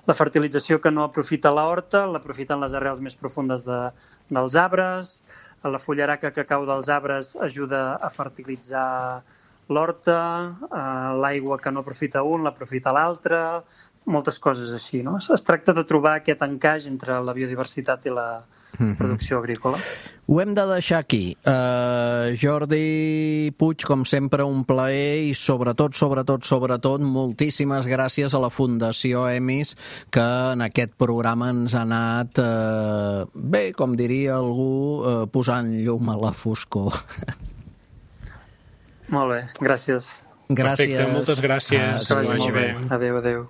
S9: la fertilització que no aprofita la horta l'aprofiten les arrels més profundes de, dels arbres, la fullaraca que cau dels arbres ajuda a fertilitzar l'horta, uh, l'aigua que no aprofita un l'aprofita l'altre, moltes coses així, no? Es tracta de trobar aquest encaix entre la biodiversitat i la producció agrícola.
S3: Ho hem de deixar aquí. Uh, Jordi Puig, com sempre, un plaer i sobretot, sobretot, sobretot, moltíssimes gràcies a la Fundació EMIS que en aquest programa ens ha anat, uh, bé, com diria algú, uh, posant llum a la foscor.
S9: Molt bé, gràcies.
S3: Gràcies.
S8: Perfecte, moltes gràcies.
S9: Ah, que vagi bé. Adéu, adéu.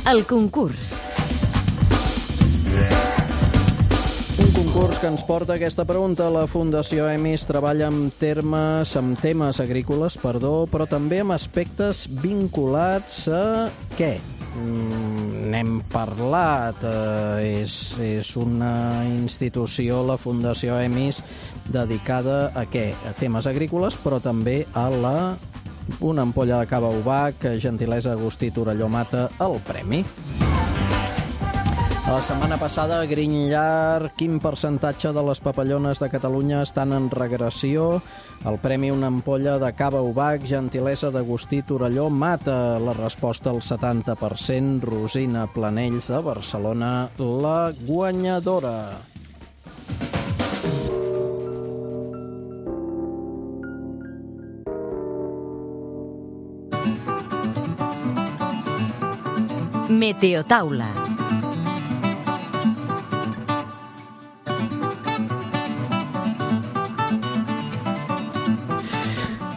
S1: El concurs.
S3: Un concurs que ens porta aquesta pregunta. La Fundació EMIS treballa amb termes, amb temes agrícoles, perdó, però també amb aspectes vinculats a què? Mm, n'hem parlat. Eh, és, és una institució, la Fundació EMIS, dedicada a què? A temes agrícoles, però també a la... Una ampolla de cava Ubac, gentilesa Agustí Torelló Mata, el premi. La setmana passada, a Grinyar, quin percentatge de les papallones de Catalunya estan en regressió? El premi una ampolla de cava Ubac, gentilesa d'Agustí Torelló Mata. La resposta al setanta per cent, Rosina Planells de Barcelona, la guanyadora.
S1: Meteotaula.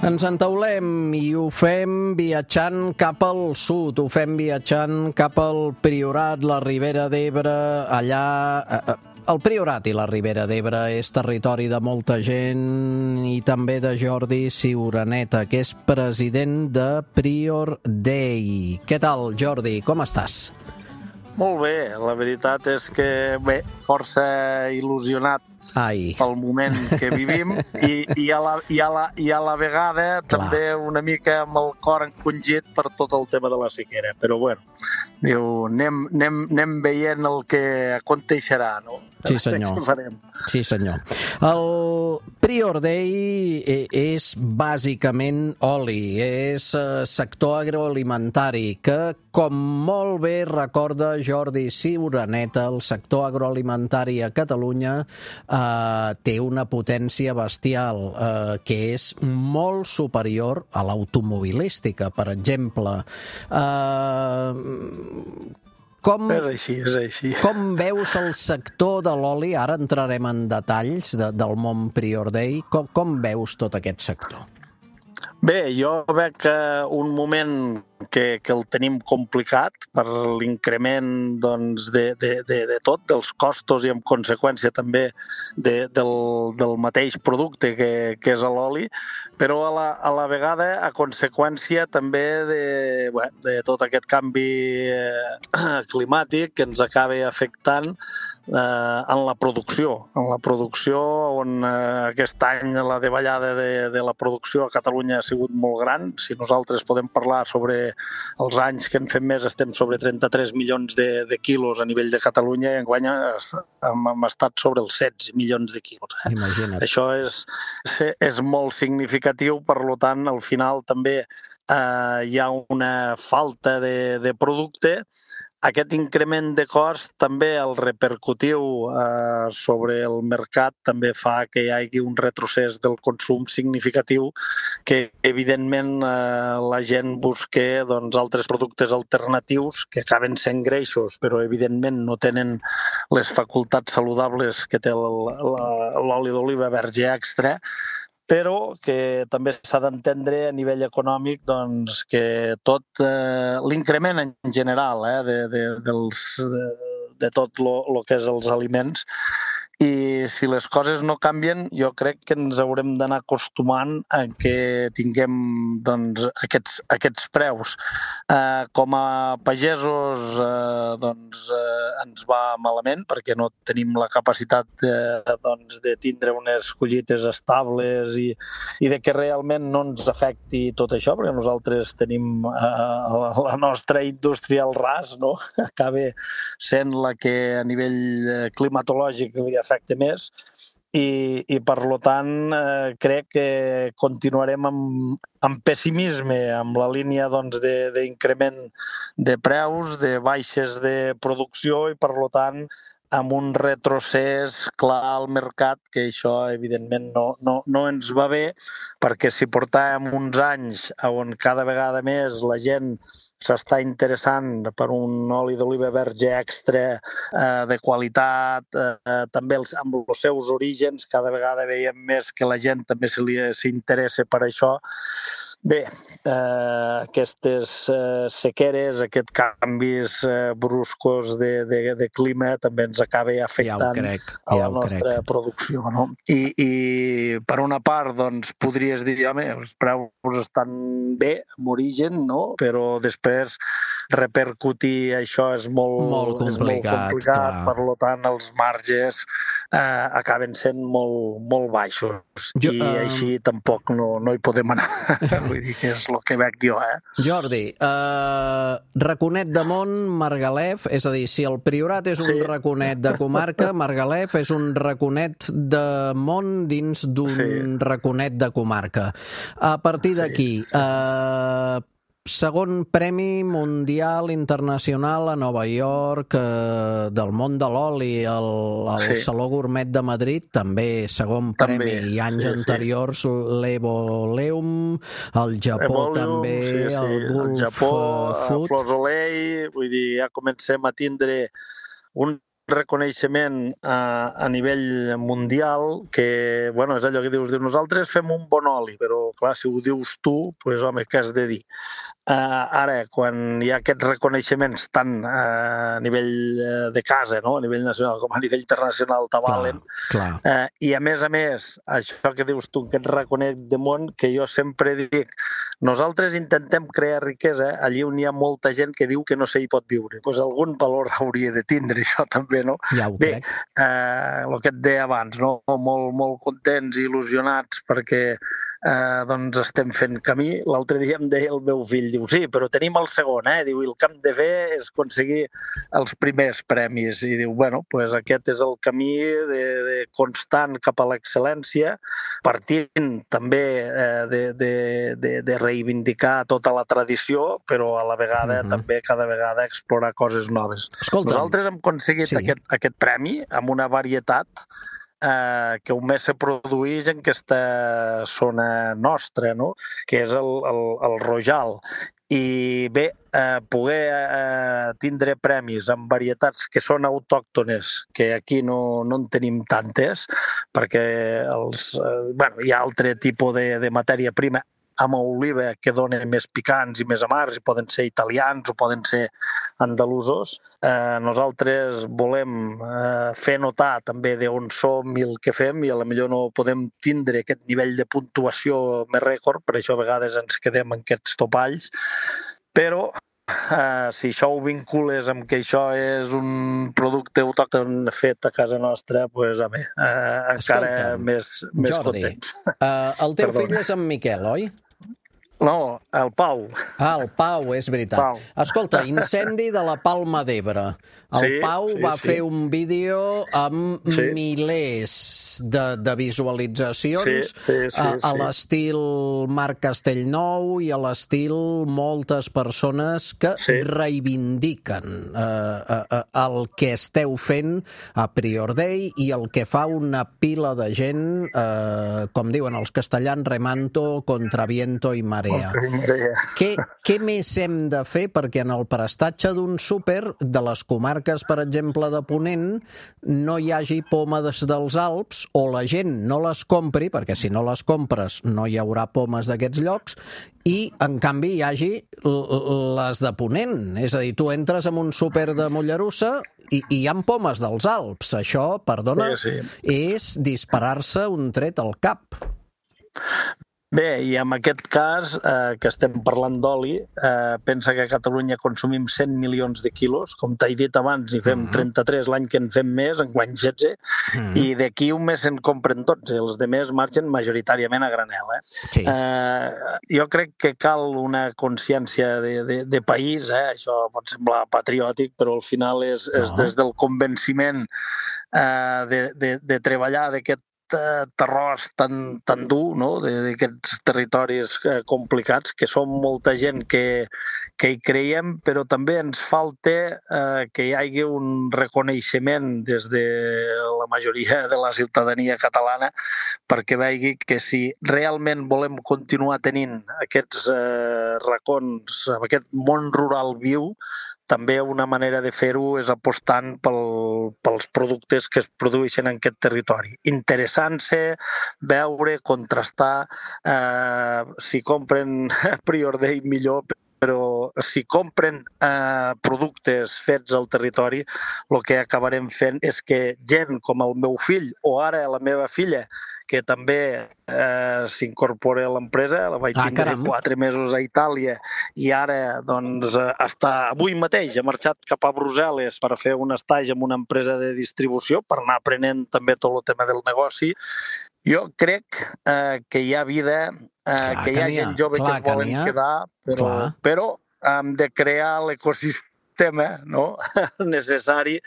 S3: Ens entaulem i ho fem viatjant cap al sud, ho fem viatjant cap al Priorat, la Ribera d'Ebre, allà... El Priorat i la Ribera d'Ebre és territori de molta gent i també de Jordi Ciuraneta, que és president de Prior Day. Què tal, Jordi? Com estàs?
S10: Molt bé, la veritat és que, bé, força il·lusionat
S3: Ai.
S10: pel moment que vivim i, i, a la, i, a la, i a la vegada Clar. també una mica amb el cor encongit per tot el tema de la sequera. Però bueno, diu, anem, anem, anem veient el que aconteixerà, no?
S3: Sí, senyor. Sí, senyor. El Prior Day és bàsicament oli, és sector agroalimentari, que, com molt bé recorda Jordi Ciuraneta, el sector agroalimentari a Catalunya eh, té una potència bestial, eh, que és molt superior a l'automobilística, per exemple. Eh, Com,
S10: és així, és així.
S3: Com veus el sector de l'oli? Ara entrarem en detalls de, del món Prior Day. Com, com veus tot aquest sector?
S10: Bé, jo veig que un moment que, que el tenim complicat per l'increment doncs, de, de, de, de tot, dels costos i en conseqüència també de, del, del mateix producte que, que és l'oli, però a la, a la vegada a conseqüència també de, bé, de tot aquest canvi eh, climàtic que ens acaba afectant eh, en la producció. En la producció on eh, aquest any la davallada de, de la producció a Catalunya ha sigut molt gran. Si nosaltres podem parlar sobre els anys que hem fet més, estem sobre trenta-tres milions de, de quilos a nivell de Catalunya i enguany hem, hem estat sobre els setze milions de quilos. Eh?
S3: Imagina't.
S10: Això és, és molt significatiu, per tant, al final també eh, hi ha una falta de, de producte aquest increment de cost també el repercutiu eh, sobre el mercat també fa que hi hagi un retrocés del consum significatiu que evidentment eh, la gent busca doncs, altres productes alternatius que acaben sent greixos però evidentment no tenen les facultats saludables que té l'oli d'oliva verge extra, però que també s'ha d'entendre a nivell econòmic doncs, que tot eh, l'increment en general eh, de, de, dels, de, de tot el que és els aliments, i si les coses no canvien, jo crec que ens haurem d'anar acostumant a que tinguem doncs, aquests, aquests preus. Eh, com a pagesos eh, doncs, eh, ens va malament perquè no tenim la capacitat de, doncs, de tindre unes collites estables i, i de que realment no ens afecti tot això, perquè nosaltres tenim eh, la nostra indústria al ras, no? Acaba sent la que a nivell climatològic li afecta més i, i per lo tant eh, crec que continuarem amb, amb pessimisme amb la línia doncs, de, d'increment de preus, de baixes de producció i per lo tant amb un retrocés clar al mercat, que això evidentment no, no, no ens va bé, perquè si portàvem uns anys on cada vegada més la gent s'està interessant per un oli d'oliva verge extra eh, de qualitat, eh, també els, amb els seus orígens, cada vegada veiem més que la gent també se li, s'interessa per això. Bé, eh, aquestes eh, sequeres, aquests canvis eh, bruscos de, de, de clima també ens acaba afectant ja crec, ja a la nostra crec. producció. No? I, I per una part, doncs, podries dir, home, els preus estan bé en origen, no? Però després repercutir això és molt,
S3: molt complicat,
S10: és molt complicat per tant els marges eh, acaben sent molt, molt baixos jo, i uh... així tampoc no, no hi podem anar. Vull dir que és el que veig jo, eh?
S3: Jordi, eh, Raconet de Mont, Margalef, és a dir, si el Priorat és un sí. raconet de comarca, Margalef és un raconet de món dins d'un sí. raconet de comarca. A partir sí, d'aquí, sí. eh, segon Premi Mundial Internacional a Nova York eh, del món de l'oli, el, el sí. Saló Gourmet de Madrid, també segon també, premi, i anys sí, anteriors sí. l'Evoleum, el Japó Evoleum, també, sí, sí. el Gulf el Japó, Food.
S10: Florsoleil, vull dir, ja comencem a tindre un reconeixement a, a nivell mundial que, bueno, és allò que dius, dius, nosaltres fem un bon oli, però clar, si ho dius tu, doncs home, què has de dir? Uh, ara, quan hi ha aquests reconeixements tant uh, a nivell uh, de casa, no? A nivell nacional com a nivell internacional t'avalen, uh, i a més a més, això que dius tu, aquest reconeix de món, que jo sempre dic, nosaltres intentem crear riquesa allí on hi ha molta gent que diu que no s'hi pot viure. Doncs algun valor hauria de tindre això també, no?
S3: Ja ho
S10: Bé,
S3: crec.
S10: Eh, el que et deia abans, no? Molt, molt contents i il·lusionats perquè eh, doncs estem fent camí. L'altre dia em deia el meu fill, diu, sí, però tenim el segon, eh? Diu, el que hem de fer és aconseguir els primers premis. I diu, bueno, pues aquest és el camí de, de constant cap a l'excel·lència, partint també eh, de, de, de, de reivindicar tota la tradició, però a la vegada uh-huh. també cada vegada explorar coses noves.
S3: Escolta,
S10: nosaltres hem aconseguit sí. aquest, aquest premi amb una varietat eh, que només se produeix en aquesta zona nostra, no? Que és el, el, el Rojal. I bé, eh, poder eh, tindre premis amb varietats que són autòctones, que aquí no, no en tenim tantes, perquè els, eh, bueno, hi ha altre tipus de, de matèria prima amb oliva que donen més picants i més amargs, i poden ser italians o poden ser andalusos. Eh, nosaltres volem eh, fer notar també d'on som i el que fem, i a lo millor no podem tindre aquest nivell de puntuació més rècord, per això a vegades ens quedem en aquests topalls, però Uh, si això ho vincules amb que això és un producte autòcton fet a casa nostra, doncs, home, uh, encara més, més
S3: Jordi,
S10: contents.
S3: Uh, el teu Perdona. fill és en Miquel, oi?
S10: No, el Pau.
S3: Ah, el Pau, és veritat.
S10: Pau.
S3: Escolta, incendi de la Palma d'Ebre. El
S10: Sí,
S3: Pau
S10: sí,
S3: va
S10: sí.
S3: fer un vídeo amb
S10: Sí.
S3: milers de, de visualitzacions
S10: Sí, sí, sí,
S3: a, a
S10: sí.
S3: l'estil Marc Castellnou i a l'estil moltes persones que
S10: Sí.
S3: reivindiquen eh, eh, el que esteu fent a Prior Day i el que fa una pila de gent, eh, com diuen els castellans, remanto contra viento i marea. Què, què més hem de fer perquè en el prestatge d'un súper de les comarques, per exemple, de Ponent, no hi hagi pomes dels Alps o la gent no les compri, perquè si no les compres no hi haurà pomes d'aquests llocs, i, en canvi, hi hagi les de Ponent. És a dir, tu entres en un súper de Mollerussa i, i hi ha pomes dels Alps. Això, perdona,
S10: Sí, sí.
S3: és disparar-se un tret al cap.
S10: Bé, i en aquest cas, eh, que estem parlant d'oli, eh, pensa que a Catalunya consumim cent milions de quilos, com t'he dit abans, i fem trenta-tres l'any que en fem més, en guany setze,
S3: Mm.
S10: i d'aquí un mes en compren dotze, els de més marxen majoritàriament a granel. Eh?
S3: Sí.
S10: Eh, jo crec que cal una consciència de, de, de país, eh? Això pot semblar patriòtic, però al final és, és
S3: No.
S10: des del convenciment eh, de, de, de treballar d'aquest eh, terròs tan, tan dur, no? d'aquests territoris eh, complicats, que som molta gent que, que hi creiem, però també ens falta eh, que hi hagi un reconeixement des de la majoria de la ciutadania catalana perquè vegi que si realment volem continuar tenint aquests eh, racons, aquest món rural viu, també una manera de fer-ho és apostant pel, pels productes que es produeixen en aquest territori. Interessant-se, veure, contrastar, eh, si compren Prior Day millor, però si compren eh, productes fets al territori, el que acabarem fent és que gent com el meu fill o ara la meva filla, que també eh, s'incorpora a l'empresa, la vaig
S3: Ah,
S10: tindre
S3: caram.
S10: quatre mesos a Itàlia i ara, doncs, eh, està avui mateix ha marxat cap a Brussel·les per fer un estatge en una empresa de distribució per anar aprenent també tot el tema del negoci. Jo crec eh, que hi ha vida, eh,
S3: Clar
S10: que hi
S3: que
S10: ha
S3: n'hi ha,
S10: gent jove
S3: clar
S10: que
S3: que
S10: es volen
S3: n'hi ha.
S10: quedar, però,
S3: Clar.
S10: però hem de crear l'ecosistema, no? necessari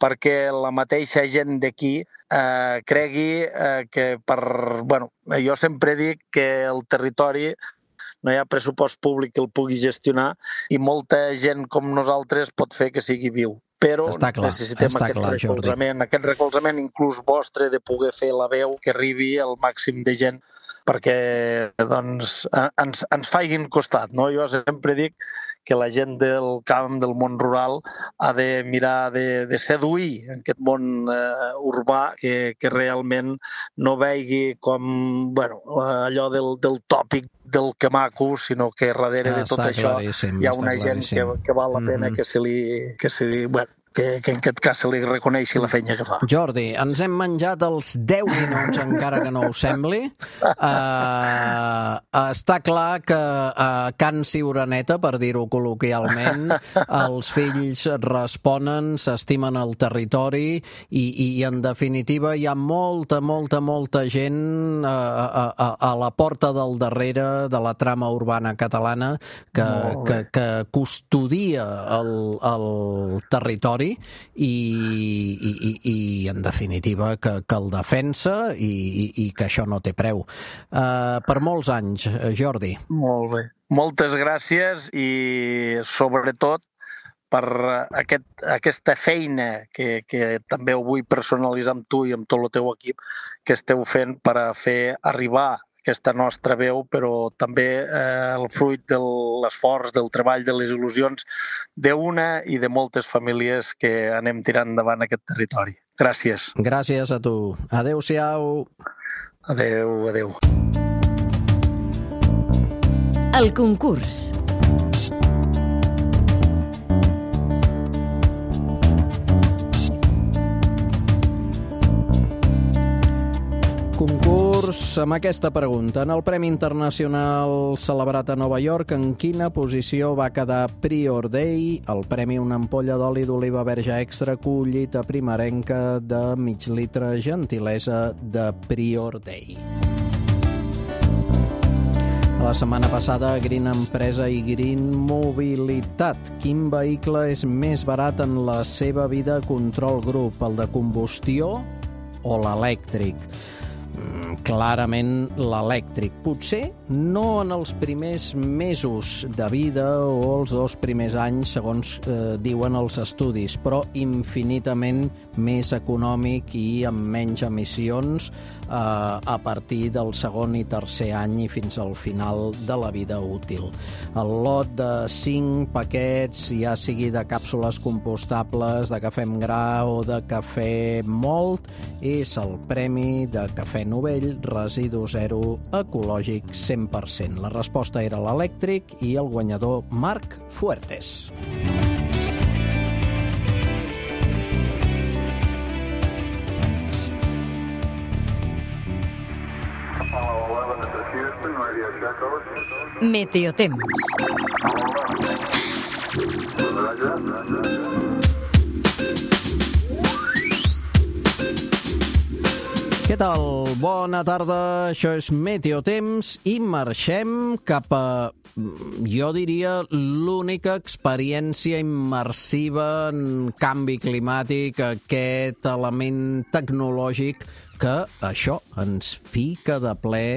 S10: perquè la mateixa gent d'aquí eh, cregui eh, que per... Bueno, jo sempre dic que el territori no hi ha pressupost públic que el pugui gestionar i molta gent com nosaltres pot fer que sigui viu. Però
S3: Està clar,
S10: necessitem
S3: està
S10: aquest
S3: clar, Jordi.
S10: recolzament, aquest recolzament inclús vostre de poder fer la veu que arribi al màxim de gent perquè doncs, eh, ens, ens faiguin costat. No? Jo sempre dic que la gent del camp, del món rural, ha de mirar de, de seduir aquest món eh, urbà que, que realment no vegi com bueno, allò del, del tòpic del que maco, sinó que darrere de tot
S3: Està
S10: això
S3: claríssim,
S10: hi ha
S3: està
S10: una gent que,
S3: claríssim.
S10: que val la pena
S3: Mhm.
S10: que se li... Que se li bueno, que, que en aquest cas se li reconeixi la feina que fa.
S3: Jordi, ens hem menjat els deu minuts, encara que no ho sembli. Uh, està clar que a Can Ciuraneta, per dir-ho col·loquialment, els fills responen, s'estimen el territori i, i, en definitiva, hi ha molta, molta, molta gent a, a, a, a la porta del darrere de la trama urbana catalana que,
S10: Molt
S3: que,
S10: bé.
S3: que custodia el, el territori i, i, i, i en definitiva, que, que el defensa i, i, i que això no té preu. Uh, per molts anys, Jordi.
S10: Molt bé. Moltes gràcies i, sobretot, per aquest, aquesta feina que, que també ho vull personalitzar amb tu i amb tot el teu equip que esteu fent per a fer arribar aquesta nostra veu, però també eh, el fruit de l'esforç, del treball, de les il·lusions d'una i de moltes famílies que anem tirant endavant aquest territori. Gràcies.
S3: Gràcies a tu. Adéu-siau.
S10: Adéu, adéu.
S1: El concurs.
S3: Concurs amb aquesta pregunta. En el Premi Internacional celebrat a Nova York, en quina posició va quedar Prior Day? El premi, una ampolla d'oli d'oliva verge extra, collita primerenca de mig litre, gentilesa de Prior Day. La setmana passada, Green Empresa i Green Mobilitat. Quin vehicle és més barat en la seva vida Control Group, el de combustió o l'elèctric? Mm, clarament l'elèctric. Potser no en els primers mesos de vida o els dos primers anys, segons eh, diuen els estudis, però infinitament més econòmic i amb menys emissions eh, a partir del segon i tercer any i fins al final de la vida útil. El lot de cinc paquets, ja sigui de càpsules compostables, de cafè amb gra o de cafè mòlt, és el premi de Cafè Novell, residu zero, ecològic cent per cent. La resposta era l'elèctric i el guanyador Marc Fuertes.
S1: Meteotemps.
S3: Què tal? Bona tarda, això és Meteotemps i marxem cap a, jo diria, l'única experiència immersiva en canvi climàtic, aquest element tecnològic que això ens fica de ple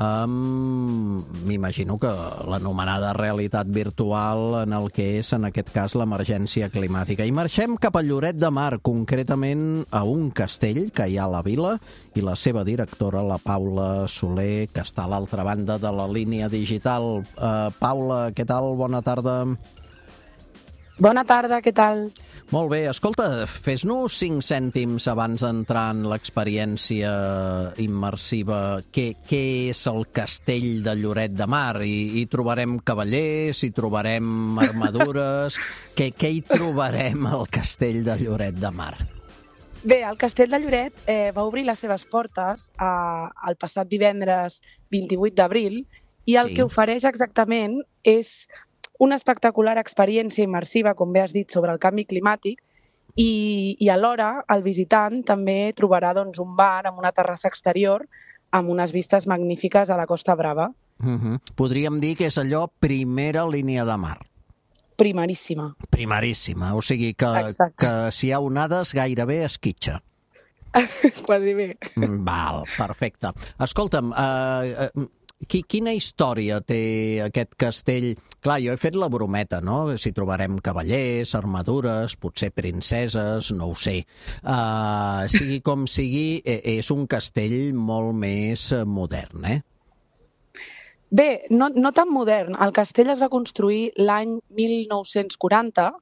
S3: amb, m'imagino que l'anomenada realitat virtual en el que és, en aquest cas, l'emergència climàtica. I marxem cap a Lloret de Mar, concretament a un castell que hi ha a la vila, i la seva directora, la Paula Soler, que està a l'altra banda de la línia digital. Uh, Paula, què tal? Bona tarda.
S11: Bona tarda, què tal?
S3: Molt bé. Escolta, fes-nos cinc cèntims abans d'entrar en l'experiència immersiva. Què, què és el castell de Lloret de Mar? Hi, hi trobarem cavallers, hi trobarem armadures... què, què hi trobarem al castell de Lloret de Mar?
S11: Bé, el castell de Lloret eh, va obrir les seves portes eh, el passat divendres vint-i-vuit d'abril i el
S3: Sí.
S11: que ofereix exactament és una espectacular experiència immersiva, com bé has dit, sobre el canvi climàtic i, i alhora el visitant també trobarà doncs, un bar amb una terrassa exterior amb unes vistes magnífiques a la Costa Brava.
S3: Uh-huh. Podríem dir que és allò primera línia de mar.
S11: Primeríssima.
S3: Primeríssima, o sigui que,
S11: Exacte.
S3: que si hi ha onades gairebé esquitxa.
S11: Quasi bé.
S3: Val, perfecte. Escolta'm, eh, eh, qui, quina història té aquest castell? Clar, jo he fet la brometa, no? Si trobarem cavallers, armadures, potser princeses, no ho sé. Uh, sigui com sigui, és un castell molt més modern, eh?
S11: Bé, no, no tan modern. El castell es va construir l'any mil nou-cents quaranta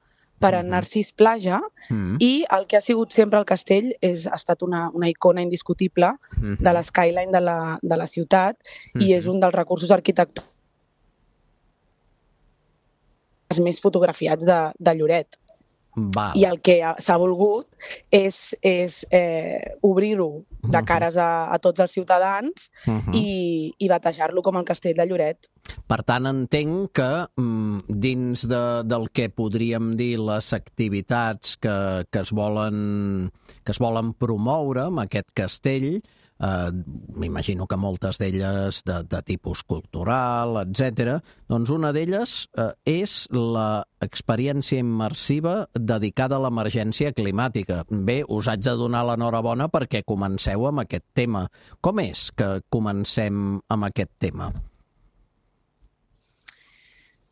S11: per en Narcís Plaja
S3: Mm.
S11: i el que ha sigut sempre el castell és, ha estat una, una icona indiscutible
S3: Mhm.
S11: de l'eskyline de la, de la ciutat i
S3: Mhm.
S11: és un dels recursos arquitectònics més fotografiats de, de Lloret.
S3: Val.
S11: I el que ha- s'ha volgut és, és eh, obrir-ho de
S3: Mhm.
S11: cares a, a tots els ciutadans
S3: Mhm.
S11: i, i batejar-lo com el castell de Lloret.
S3: Per tant, entenc que mm, dins de, del que podríem dir les activitats que, que, es volen, que es volen promoure amb aquest castell, eh, m'imagino que moltes d'elles de, de tipus cultural, etcètera, doncs una d'elles eh, és l'experiència immersiva dedicada a l'emergència climàtica. Bé, us haig de donar l'enhorabona perquè comenceu amb aquest tema. Com és que comencem amb aquest tema?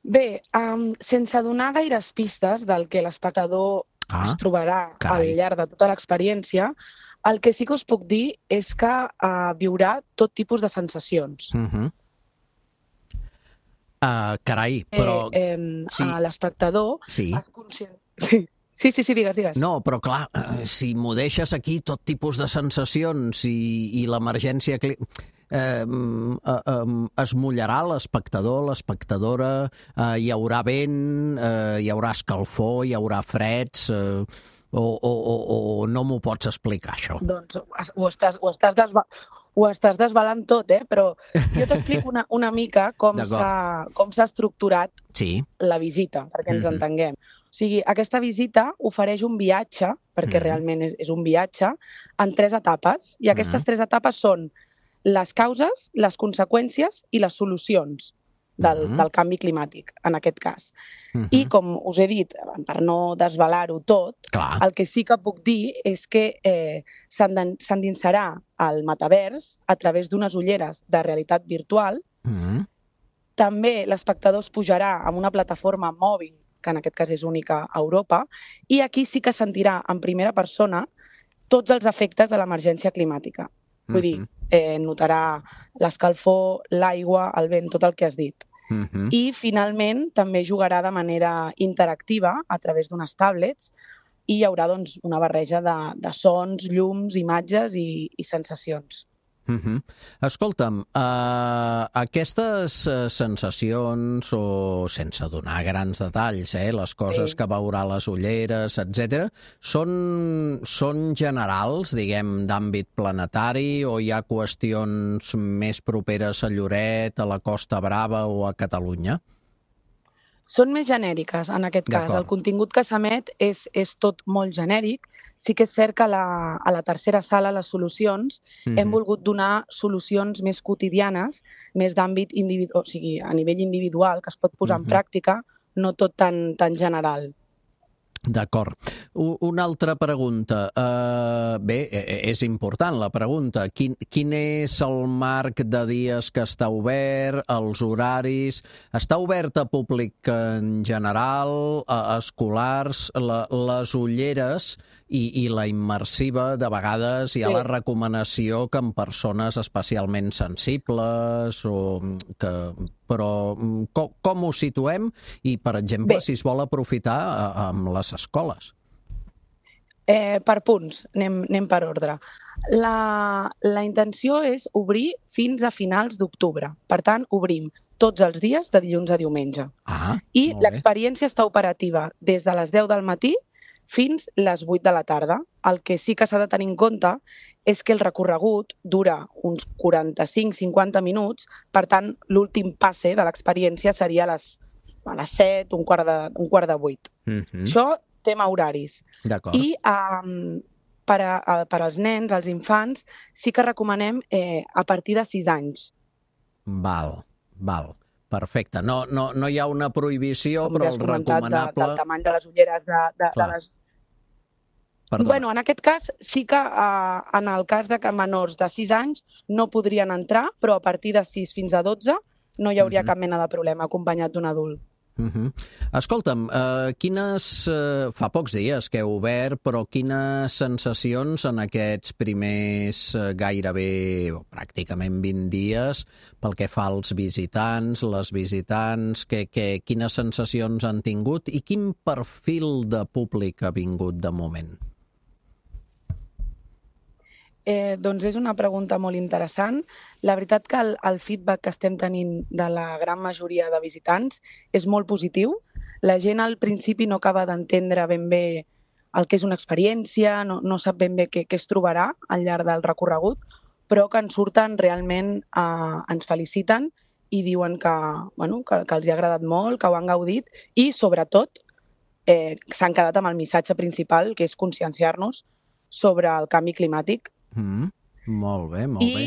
S11: Bé, um, sense donar gaires pistes del que l'espectador
S3: Ah,
S11: es trobarà
S3: carai.
S11: al llarg de tota l'experiència, el que sí que us puc dir és que uh, viurà tot tipus de sensacions.
S3: Uh-huh. Uh, carai, però...
S11: eh, eh,
S3: sí.
S11: a l'espectador
S3: Sí.
S11: és conscient... Sí. sí, sí, sí, digues, digues.
S3: No, però clar, eh, si m'ho deixes aquí, tot tipus de sensacions i, i l'emergència... Cli... Eh, eh, eh, es mullarà l'espectador, l'espectadora, eh, hi haurà vent, eh, hi haurà escalfor, hi haurà freds, eh, o, o, o, o no m'ho pots explicar, això?
S11: Doncs ho estàs, ho estàs, desva... ho estàs desvelant tot, eh? Però jo t'explico una, una mica com
S3: D'acord.
S11: s'ha com s'ha estructurat
S3: Sí.
S11: la visita, perquè ens
S3: Mhm.
S11: entenguem. O sigui, aquesta visita ofereix un viatge, perquè
S3: Mhm.
S11: realment és, és un viatge, en tres etapes. I aquestes
S3: Mhm.
S11: tres etapes són les causes, les conseqüències i les solucions. del,
S3: Mhm.
S11: del canvi climàtic, en aquest cas.
S3: Mhm.
S11: I, com us he dit, per no desvelar-ho tot,
S3: Clar.
S11: el que sí que puc dir és que eh, s'enden- s'endinsarà al metavers a través d'unes ulleres de realitat virtual.
S3: Mhm.
S11: També l'espectador es pujarà amb una plataforma mòbil, que en aquest cas és única a Europa, i aquí sí que sentirà en primera persona tots els efectes de l'emergència climàtica. Vull dir,
S3: Mhm.
S11: eh, notarà l'escalfor, l'aigua, el vent, tot el que has dit.
S3: Mhm.
S11: I, finalment, també jugarà de manera interactiva a través d'unes tablets i hi haurà doncs, una barreja de, de sons, llums, imatges i, i sensacions.
S3: Mhm. Escolta'm, uh, aquestes uh, sensacions, o sense donar grans detalls, eh, les coses
S11: Sí.
S3: que veurà a les ulleres, etcètera, són, són generals, diguem, d'àmbit planetari, o hi ha qüestions més properes a Lloret, a la Costa Brava o a Catalunya?
S11: Són més genèriques, en aquest cas.
S3: D'acord.
S11: El contingut que s'emet és, és tot molt genèric. Sí que és cert que a la, a la tercera sala, les solucions,
S3: Mhm.
S11: hem volgut donar solucions més quotidianes, més d'àmbit individual, o sigui, a nivell individual, que es pot posar
S3: Mhm.
S11: en pràctica, no tot tan, tan general.
S3: D'acord. U- Una altra pregunta. Uh, bé, eh, és important la pregunta. Quin, quin és el marc de dies que està obert, els horaris? Està obert a públic en general, a escolars, la, les ulleres i, i la immersiva, de vegades hi ha
S11: Sí.
S3: la recomanació que en persones especialment sensibles o que... Però com, com ho situem? I, per exemple,
S11: Bé.
S3: si es vol aprofitar a- amb les escoles.
S11: Eh, per punts, anem, anem per ordre. La, la intenció és obrir fins a finals d'octubre. Per tant, obrim tots els dies de dilluns a diumenge.
S3: Ah,
S11: I
S3: molt bé.
S11: l'experiència està operativa des de les deu del matí fins les vuit de la tarda. El que sí que s'ha de tenir en compte és que el recorregut dura uns quaranta-cinc a cinquanta minuts, per tant, l'últim passe de l'experiència seria a les, a les set, un quart de, un quart de vuit.
S3: Mhm.
S11: Això, tema horaris.
S3: D'acord.
S11: I um, per, a, a, per als nens, als infants, sí que recomanem eh, a partir de sis anys.
S3: Val, val. Perfecte. No, no, no hi ha una prohibició,
S11: Com
S3: però
S11: ja has
S3: el
S11: comentat, de,
S3: recomanable...
S11: del tamany de les ulleres de, de, de
S3: Clar.
S11: les...
S3: Perdona.
S11: Bueno, en aquest cas, sí que eh, en el cas de que menors de sis anys no podrien entrar, però a partir de sis fins a dotze no hi hauria
S3: Mhm.
S11: cap mena de problema acompanyat d'un adult.
S3: Uh-huh. Escolta'm, uh, quines... Uh, fa pocs dies que heu obert, però quines sensacions en aquests primers uh, gairebé, o pràcticament vint dies, pel que fa als visitants, les visitants, que, que, quines sensacions han tingut i quin perfil de públic ha vingut de moment?
S11: Eh, doncs és una pregunta molt interessant. La veritat que el, el feedback que estem tenint de la gran majoria de visitants és molt positiu. La gent al principi no acaba d'entendre ben bé el que és una experiència, no, no sap ben bé què, què es trobarà al llarg del recorregut, però que en surten realment, eh, ens feliciten i diuen que, bueno, que, que els hi ha agradat molt, que ho han gaudit i, sobretot, eh, s'han quedat amb el missatge principal, que és conscienciar-nos sobre el canvi climàtic.
S3: Mm, molt bé, molt
S11: I
S3: bé.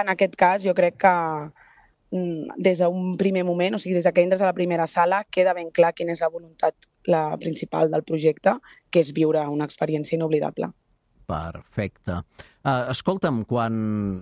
S11: en aquest cas jo crec que mm, des d'un primer moment, o sigui, des que entres a la primera sala, queda ben clar quina és la voluntat la principal del projecte, que és viure una experiència inoblidable.
S3: Perfecte. Uh, escolta'm, quan...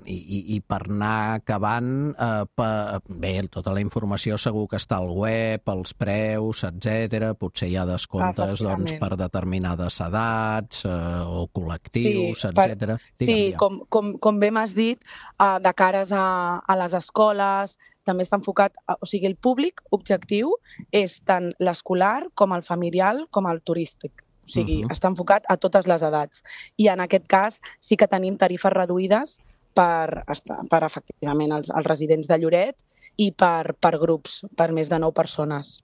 S3: I, i, i per anar acabant, uh, pa... bé, tota la informació segur que està al web, els preus, etcètera. Potser hi ha descomptes doncs, per determinades edats uh, o col·lectius,
S11: Sí, per-
S3: etcètera.
S11: Sí, com, com, com bé m'has dit, uh, de cares a, a les escoles, també està enfocat, a, o sigui, el públic objectiu és tant l'escolar com el familiar com el turístic. O sigui,
S3: Mhm.
S11: està enfocat a totes les edats. I en aquest cas sí que tenim tarifes reduïdes per, esta- per efectivament, els, els residents de Lloret i per, per grups, per més de nou persones.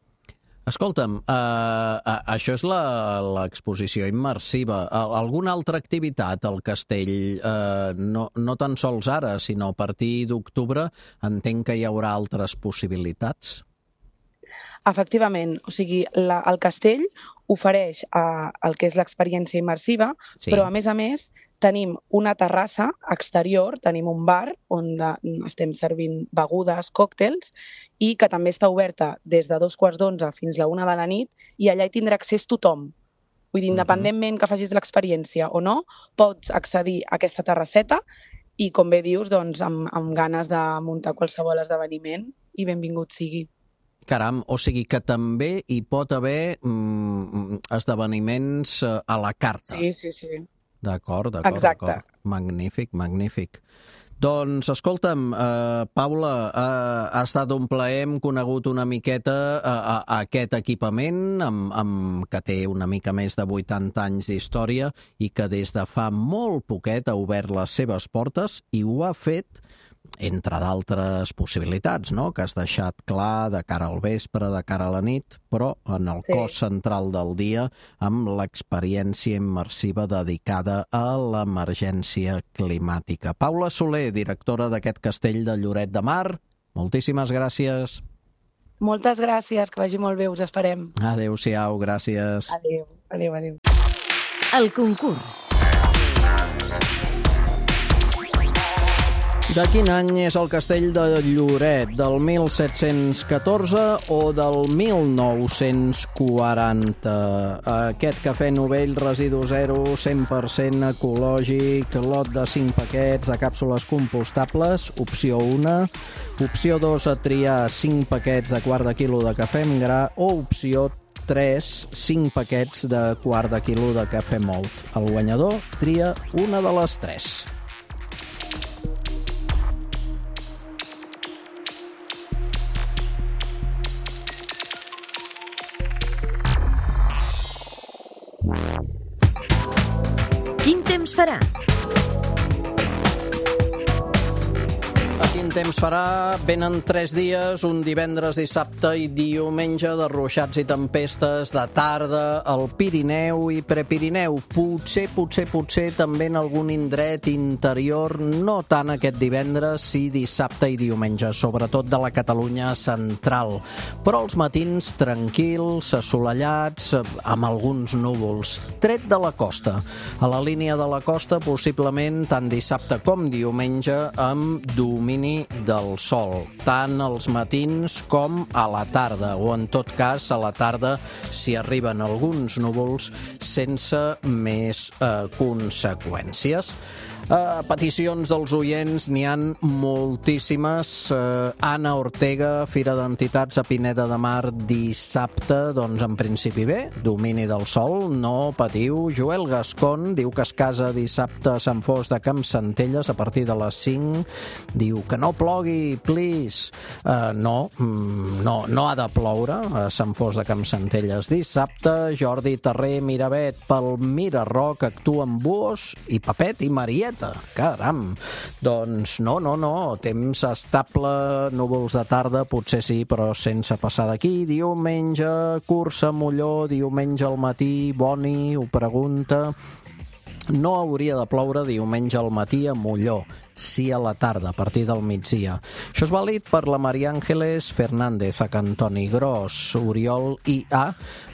S3: Escolta'm, uh, això és la- l'exposició immersiva. Al- Alguna altra activitat al castell, uh, no, no tan sols ara, sinó a partir d'octubre, entenc que hi haurà altres possibilitats?
S11: Efectivament, o sigui, la, el castell ofereix uh, el que és l'experiència immersiva,
S3: Sí.
S11: però a més a més tenim una terrassa exterior, tenim un bar on de, estem servint begudes, còctels, i que també està oberta des de dos quarts d'onze fins la una de la nit, i allà hi tindrà accés tothom. Vull dir, independentment que facis l'experiència o no, pots accedir a aquesta terrasseta i, com bé dius, doncs, amb, amb ganes de muntar qualsevol esdeveniment, i benvingut sigui.
S3: Caram, o sigui que també hi pot haver mm, esdeveniments eh, a la carta.
S11: Sí, sí, sí.
S3: D'acord, d'acord,
S11: Exacte.
S3: d'acord. Magnífic, magnífic. Doncs, escolta'm, eh, Paula, eh, ha estat un plaer, hem conegut una miqueta eh, a, a aquest equipament amb, amb, que té una mica més de vuitanta anys d'història i que des de fa molt poquet ha obert les seves portes i ho ha fet entre d'altres possibilitats, no?, que has deixat clar de cara al vespre, de cara a la nit, però en el
S11: Sí.
S3: cos central del dia amb l'experiència immersiva dedicada a l'emergència climàtica. Paula Soler, directora d'aquest castell de Lloret de Mar, moltíssimes gràcies.
S11: Moltes gràcies, que vagi molt bé, us esperem.
S3: Adéu-siau, gràcies.
S11: Adéu, adéu, adéu.
S1: El concurs.
S3: De quin any és el castell de Lloret? Del mil set-cents catorze o del mil nou-cents quaranta? Aquest cafè novell, residu zero, cent per cent ecològic, lot de cinc paquets de càpsules compostables, opció una. Opció dos, a triar cinc paquets de quart de quilo de cafè en gra, o opció tres, cinc paquets de quart de quilo de cafè mòlt. El guanyador tria una de les tres.
S1: Quin temps farà?
S3: A quin temps farà? Venen tres dies, un divendres, dissabte i diumenge de ruixats i tempestes de tarda al Pirineu i Prepirineu. Potser, potser, potser també en algun indret interior, no tant aquest divendres, sí dissabte i diumenge, sobretot de la Catalunya central. Però els matins tranquils, assolellats, amb alguns núvols. Tret de la costa. A la línia de la costa, possiblement tant dissabte com diumenge, amb domini del sol, tant als matins com a la tarda, o en tot cas a la tarda si arriben alguns núvols sense més eh, conseqüències. A peticions dels oients n'hi han moltíssimes. Uh, Anna Ortega, Fira d'Entitats a Pineda de Mar, dissabte, doncs en principi bé, domini del sol, no patiu. Joel Gascon diu que es casa dissabte a Sant Fost de Campsentelles a partir de les cinc. Diu que no plogui, please. Uh, no, no, no ha de ploure a Sant Fost de Campsentelles dissabte. Jordi Terrer, Miravet, pel Mirarroc, actuen Buos i Papet i Marieta. Caram! Doncs no, no, no. Temps estable, núvols de tarda, potser sí, però sense passar d'aquí. Diumenge, cursa, Molló, diumenge al matí, Boni, ho pregunta. No hauria de ploure diumenge al matí a Molló, sí a la tarda, a partir del migdia. Això és vàlid per la Maria Ángeles Fernández, a Cantoni Gros, Oriol I A,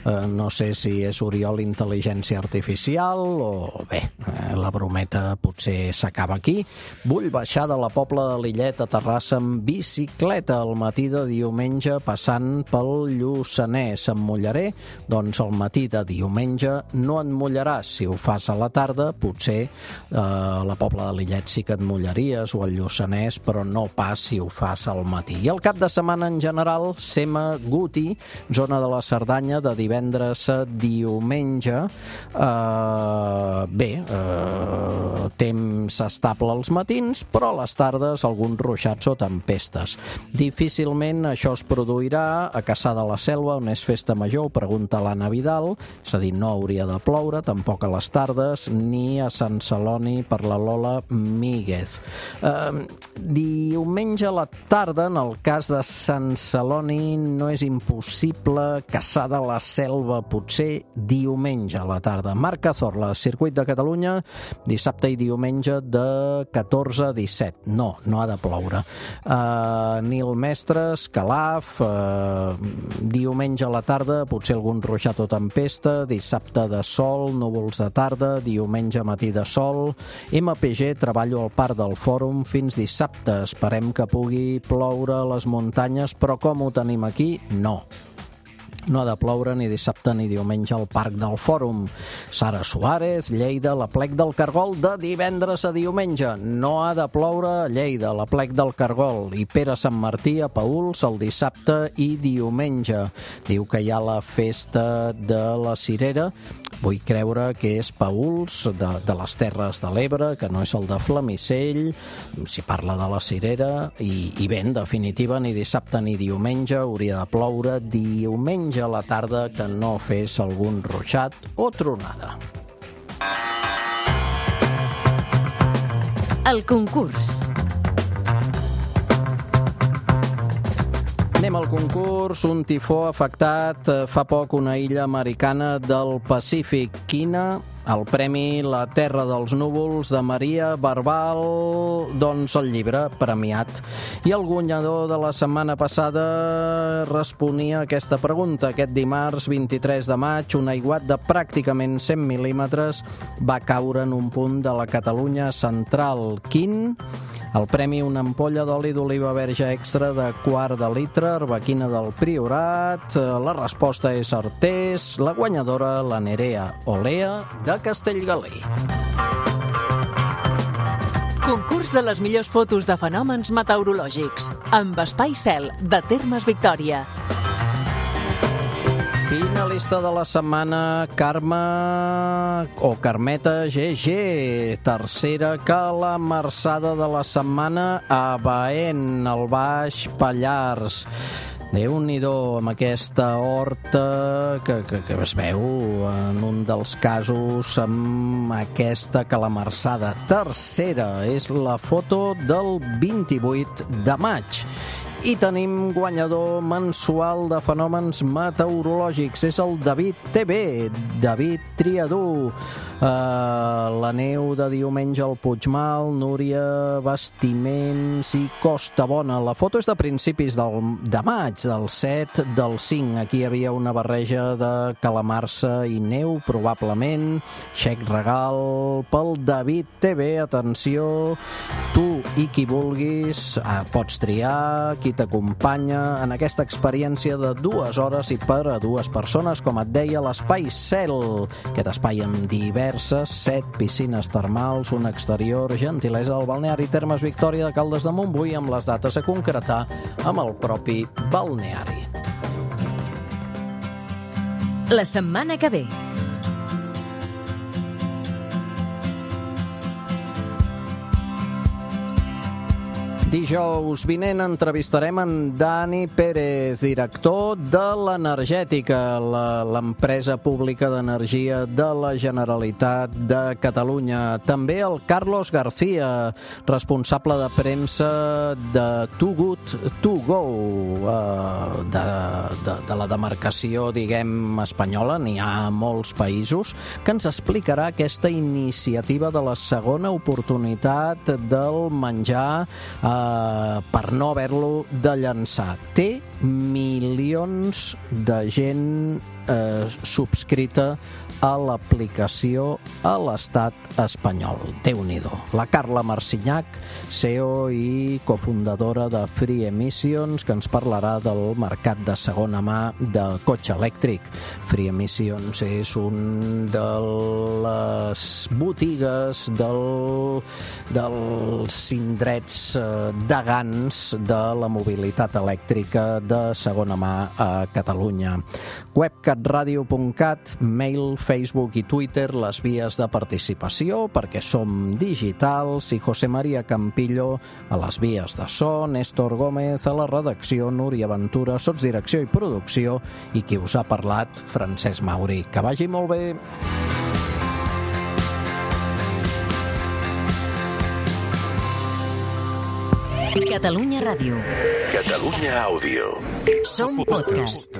S3: eh, no sé si és Oriol Intel·ligència Artificial o bé, eh, la brometa potser s'acaba aquí. Vull baixar de la Pobla de Lillet a Terrassa amb bicicleta al matí de diumenge passant pel Lluçanès. Em mullaré? Doncs al matí de diumenge no et mullaràs. Si ho fas a la tarda, potser eh, a la Pobla de Lillet sí que et mullaràs o al Lluçanès, però no pas si ho fas al matí. I el cap de setmana en general, Sema Guti, zona de la Cerdanya, de divendres a diumenge. Uh, bé, uh, temps estable als matins, però a les tardes alguns ruixats o tempestes. Difícilment això es produirà a Cassà de la Selva, on és festa major, pregunta l'Anna Vidal, és a dir, no hauria de ploure, tampoc a les tardes, ni a Sant Celoni per la Lola Míguez. Uh, diumenge a la tarda, en el cas de Sant Celoni, no és impossible. Caçar de la Selva, potser diumenge a la tarda. Marc Cazorla, Circuit de Catalunya, dissabte i diumenge de catorze a disset. No, no ha de ploure. Uh, Nil Mestres, Calaf, uh, diumenge a la tarda, potser algun ruixat o tempesta, dissabte de sol, núvols de tarda, diumenge matí de sol. M P G, treballo al Parc del Fòrum fins dissabte. Esperem que pugui ploure a les muntanyes, però com ho tenim aquí? No. No ha de ploure ni dissabte ni diumenge al Parc del Fòrum. Sara Suárez, Lleida, la Plec del Cargol, de divendres a diumenge. No ha de ploure a Lleida, la Plec del Cargol. I Pere Sant Martí a Paüls el dissabte i diumenge. Diu que hi ha la festa de la Cirera. Vull creure que és Paüls, de, de les Terres de l'Ebre, que no és el de Flamisell. S'hi parla de la Cirera. I, i bé, en definitiva, ni dissabte ni diumenge hauria de ploure. Diumenge a la tarda, que no fes algun ruixat o tronada.
S1: El concurs.
S3: Anem al concurs. Un tifó ha afectat fa poc una illa americana del Pacífic. Quina? El premi La Terra dels Núvols de Maria Barbal, doncs el llibre premiat. I el guanyador de la setmana passada responia a aquesta pregunta. Aquest dimarts vint-i-tres de maig, un aiguat de pràcticament cent mil·límetres va caure en un punt de la Catalunya central. Quin? El premi, una ampolla d'oli d'oliva verge extra de quart de litre, arbequina del Priorat. La resposta és Artés. La guanyadora, la Nerea Olea, de Castellgalí.
S4: Concurs de les millors fotos de fenòmens meteorològics, amb Espai Cel, de Termes Victòria.
S3: Finalista de la setmana, Carme o Carmeta G G. Tercera calamarsada de la setmana a Baén, al Baix Pallars. Déu-n'hi-do amb aquesta horta que, que, que es veu en un dels casos amb aquesta calamarsada. Tercera és la foto del vint-i-vuit de maig. I tenim guanyador mensual de fenòmens meteorològics. És el David T V, David Triadú. Uh, la neu de diumenge al Puigmal, Núria, Bastiments i Costa Bona. La foto és de principis del, de maig, del set, del cinc. Aquí hi havia una barreja de calamarsa i neu, probablement. Xec regal pel David T V. Atenció, tu i qui vulguis uh, pots triar qui t'acompanya en aquesta experiència de dues hores i per a dues persones, com et deia, l'Espai Cel. Aquest espai amb diverses, set piscines termals, un exterior, gentilesa del balneari Termes Victòria de Caldes de Montbui, amb les dates a concretar amb el propi balneari.
S1: La setmana que ve.
S3: Dijous vinent entrevistarem en Dani Pérez, director de l'Energètica, l'empresa pública d'energia de la Generalitat de Catalunya. També el Carlos García, responsable de premsa de Too Good To Go, de, de, de la demarcació, diguem, espanyola. N'hi ha a molts països, que ens explicarà aquesta iniciativa de la segona oportunitat del menjar eh, per no haver-lo de llançar. Té milions de gent eh, subscrita a l'aplicació a l'estat espanyol. Déu-n'hi-do. La Carla Marcinyac, C E O i cofundadora de Free Emissions, que ens parlarà del mercat de segona mà de cotxe elèctric. Free Emissions és un de les botigues del, dels indrets eh, degans de la mobilitat elèctrica de segona mà a Catalunya. web cat radio punt cat, mail, Facebook i Twitter, les vies de participació, perquè som digitals, i José María Campillo a les vies de so, Néstor Gómez a la redacció, Núria Ventura, sotsdirecció i producció, i qui us ha parlat, Francesc Mauri. Que vagi molt bé!
S1: Catalunya Ràdio.
S2: Catalunya Àudio.
S1: Som podcast.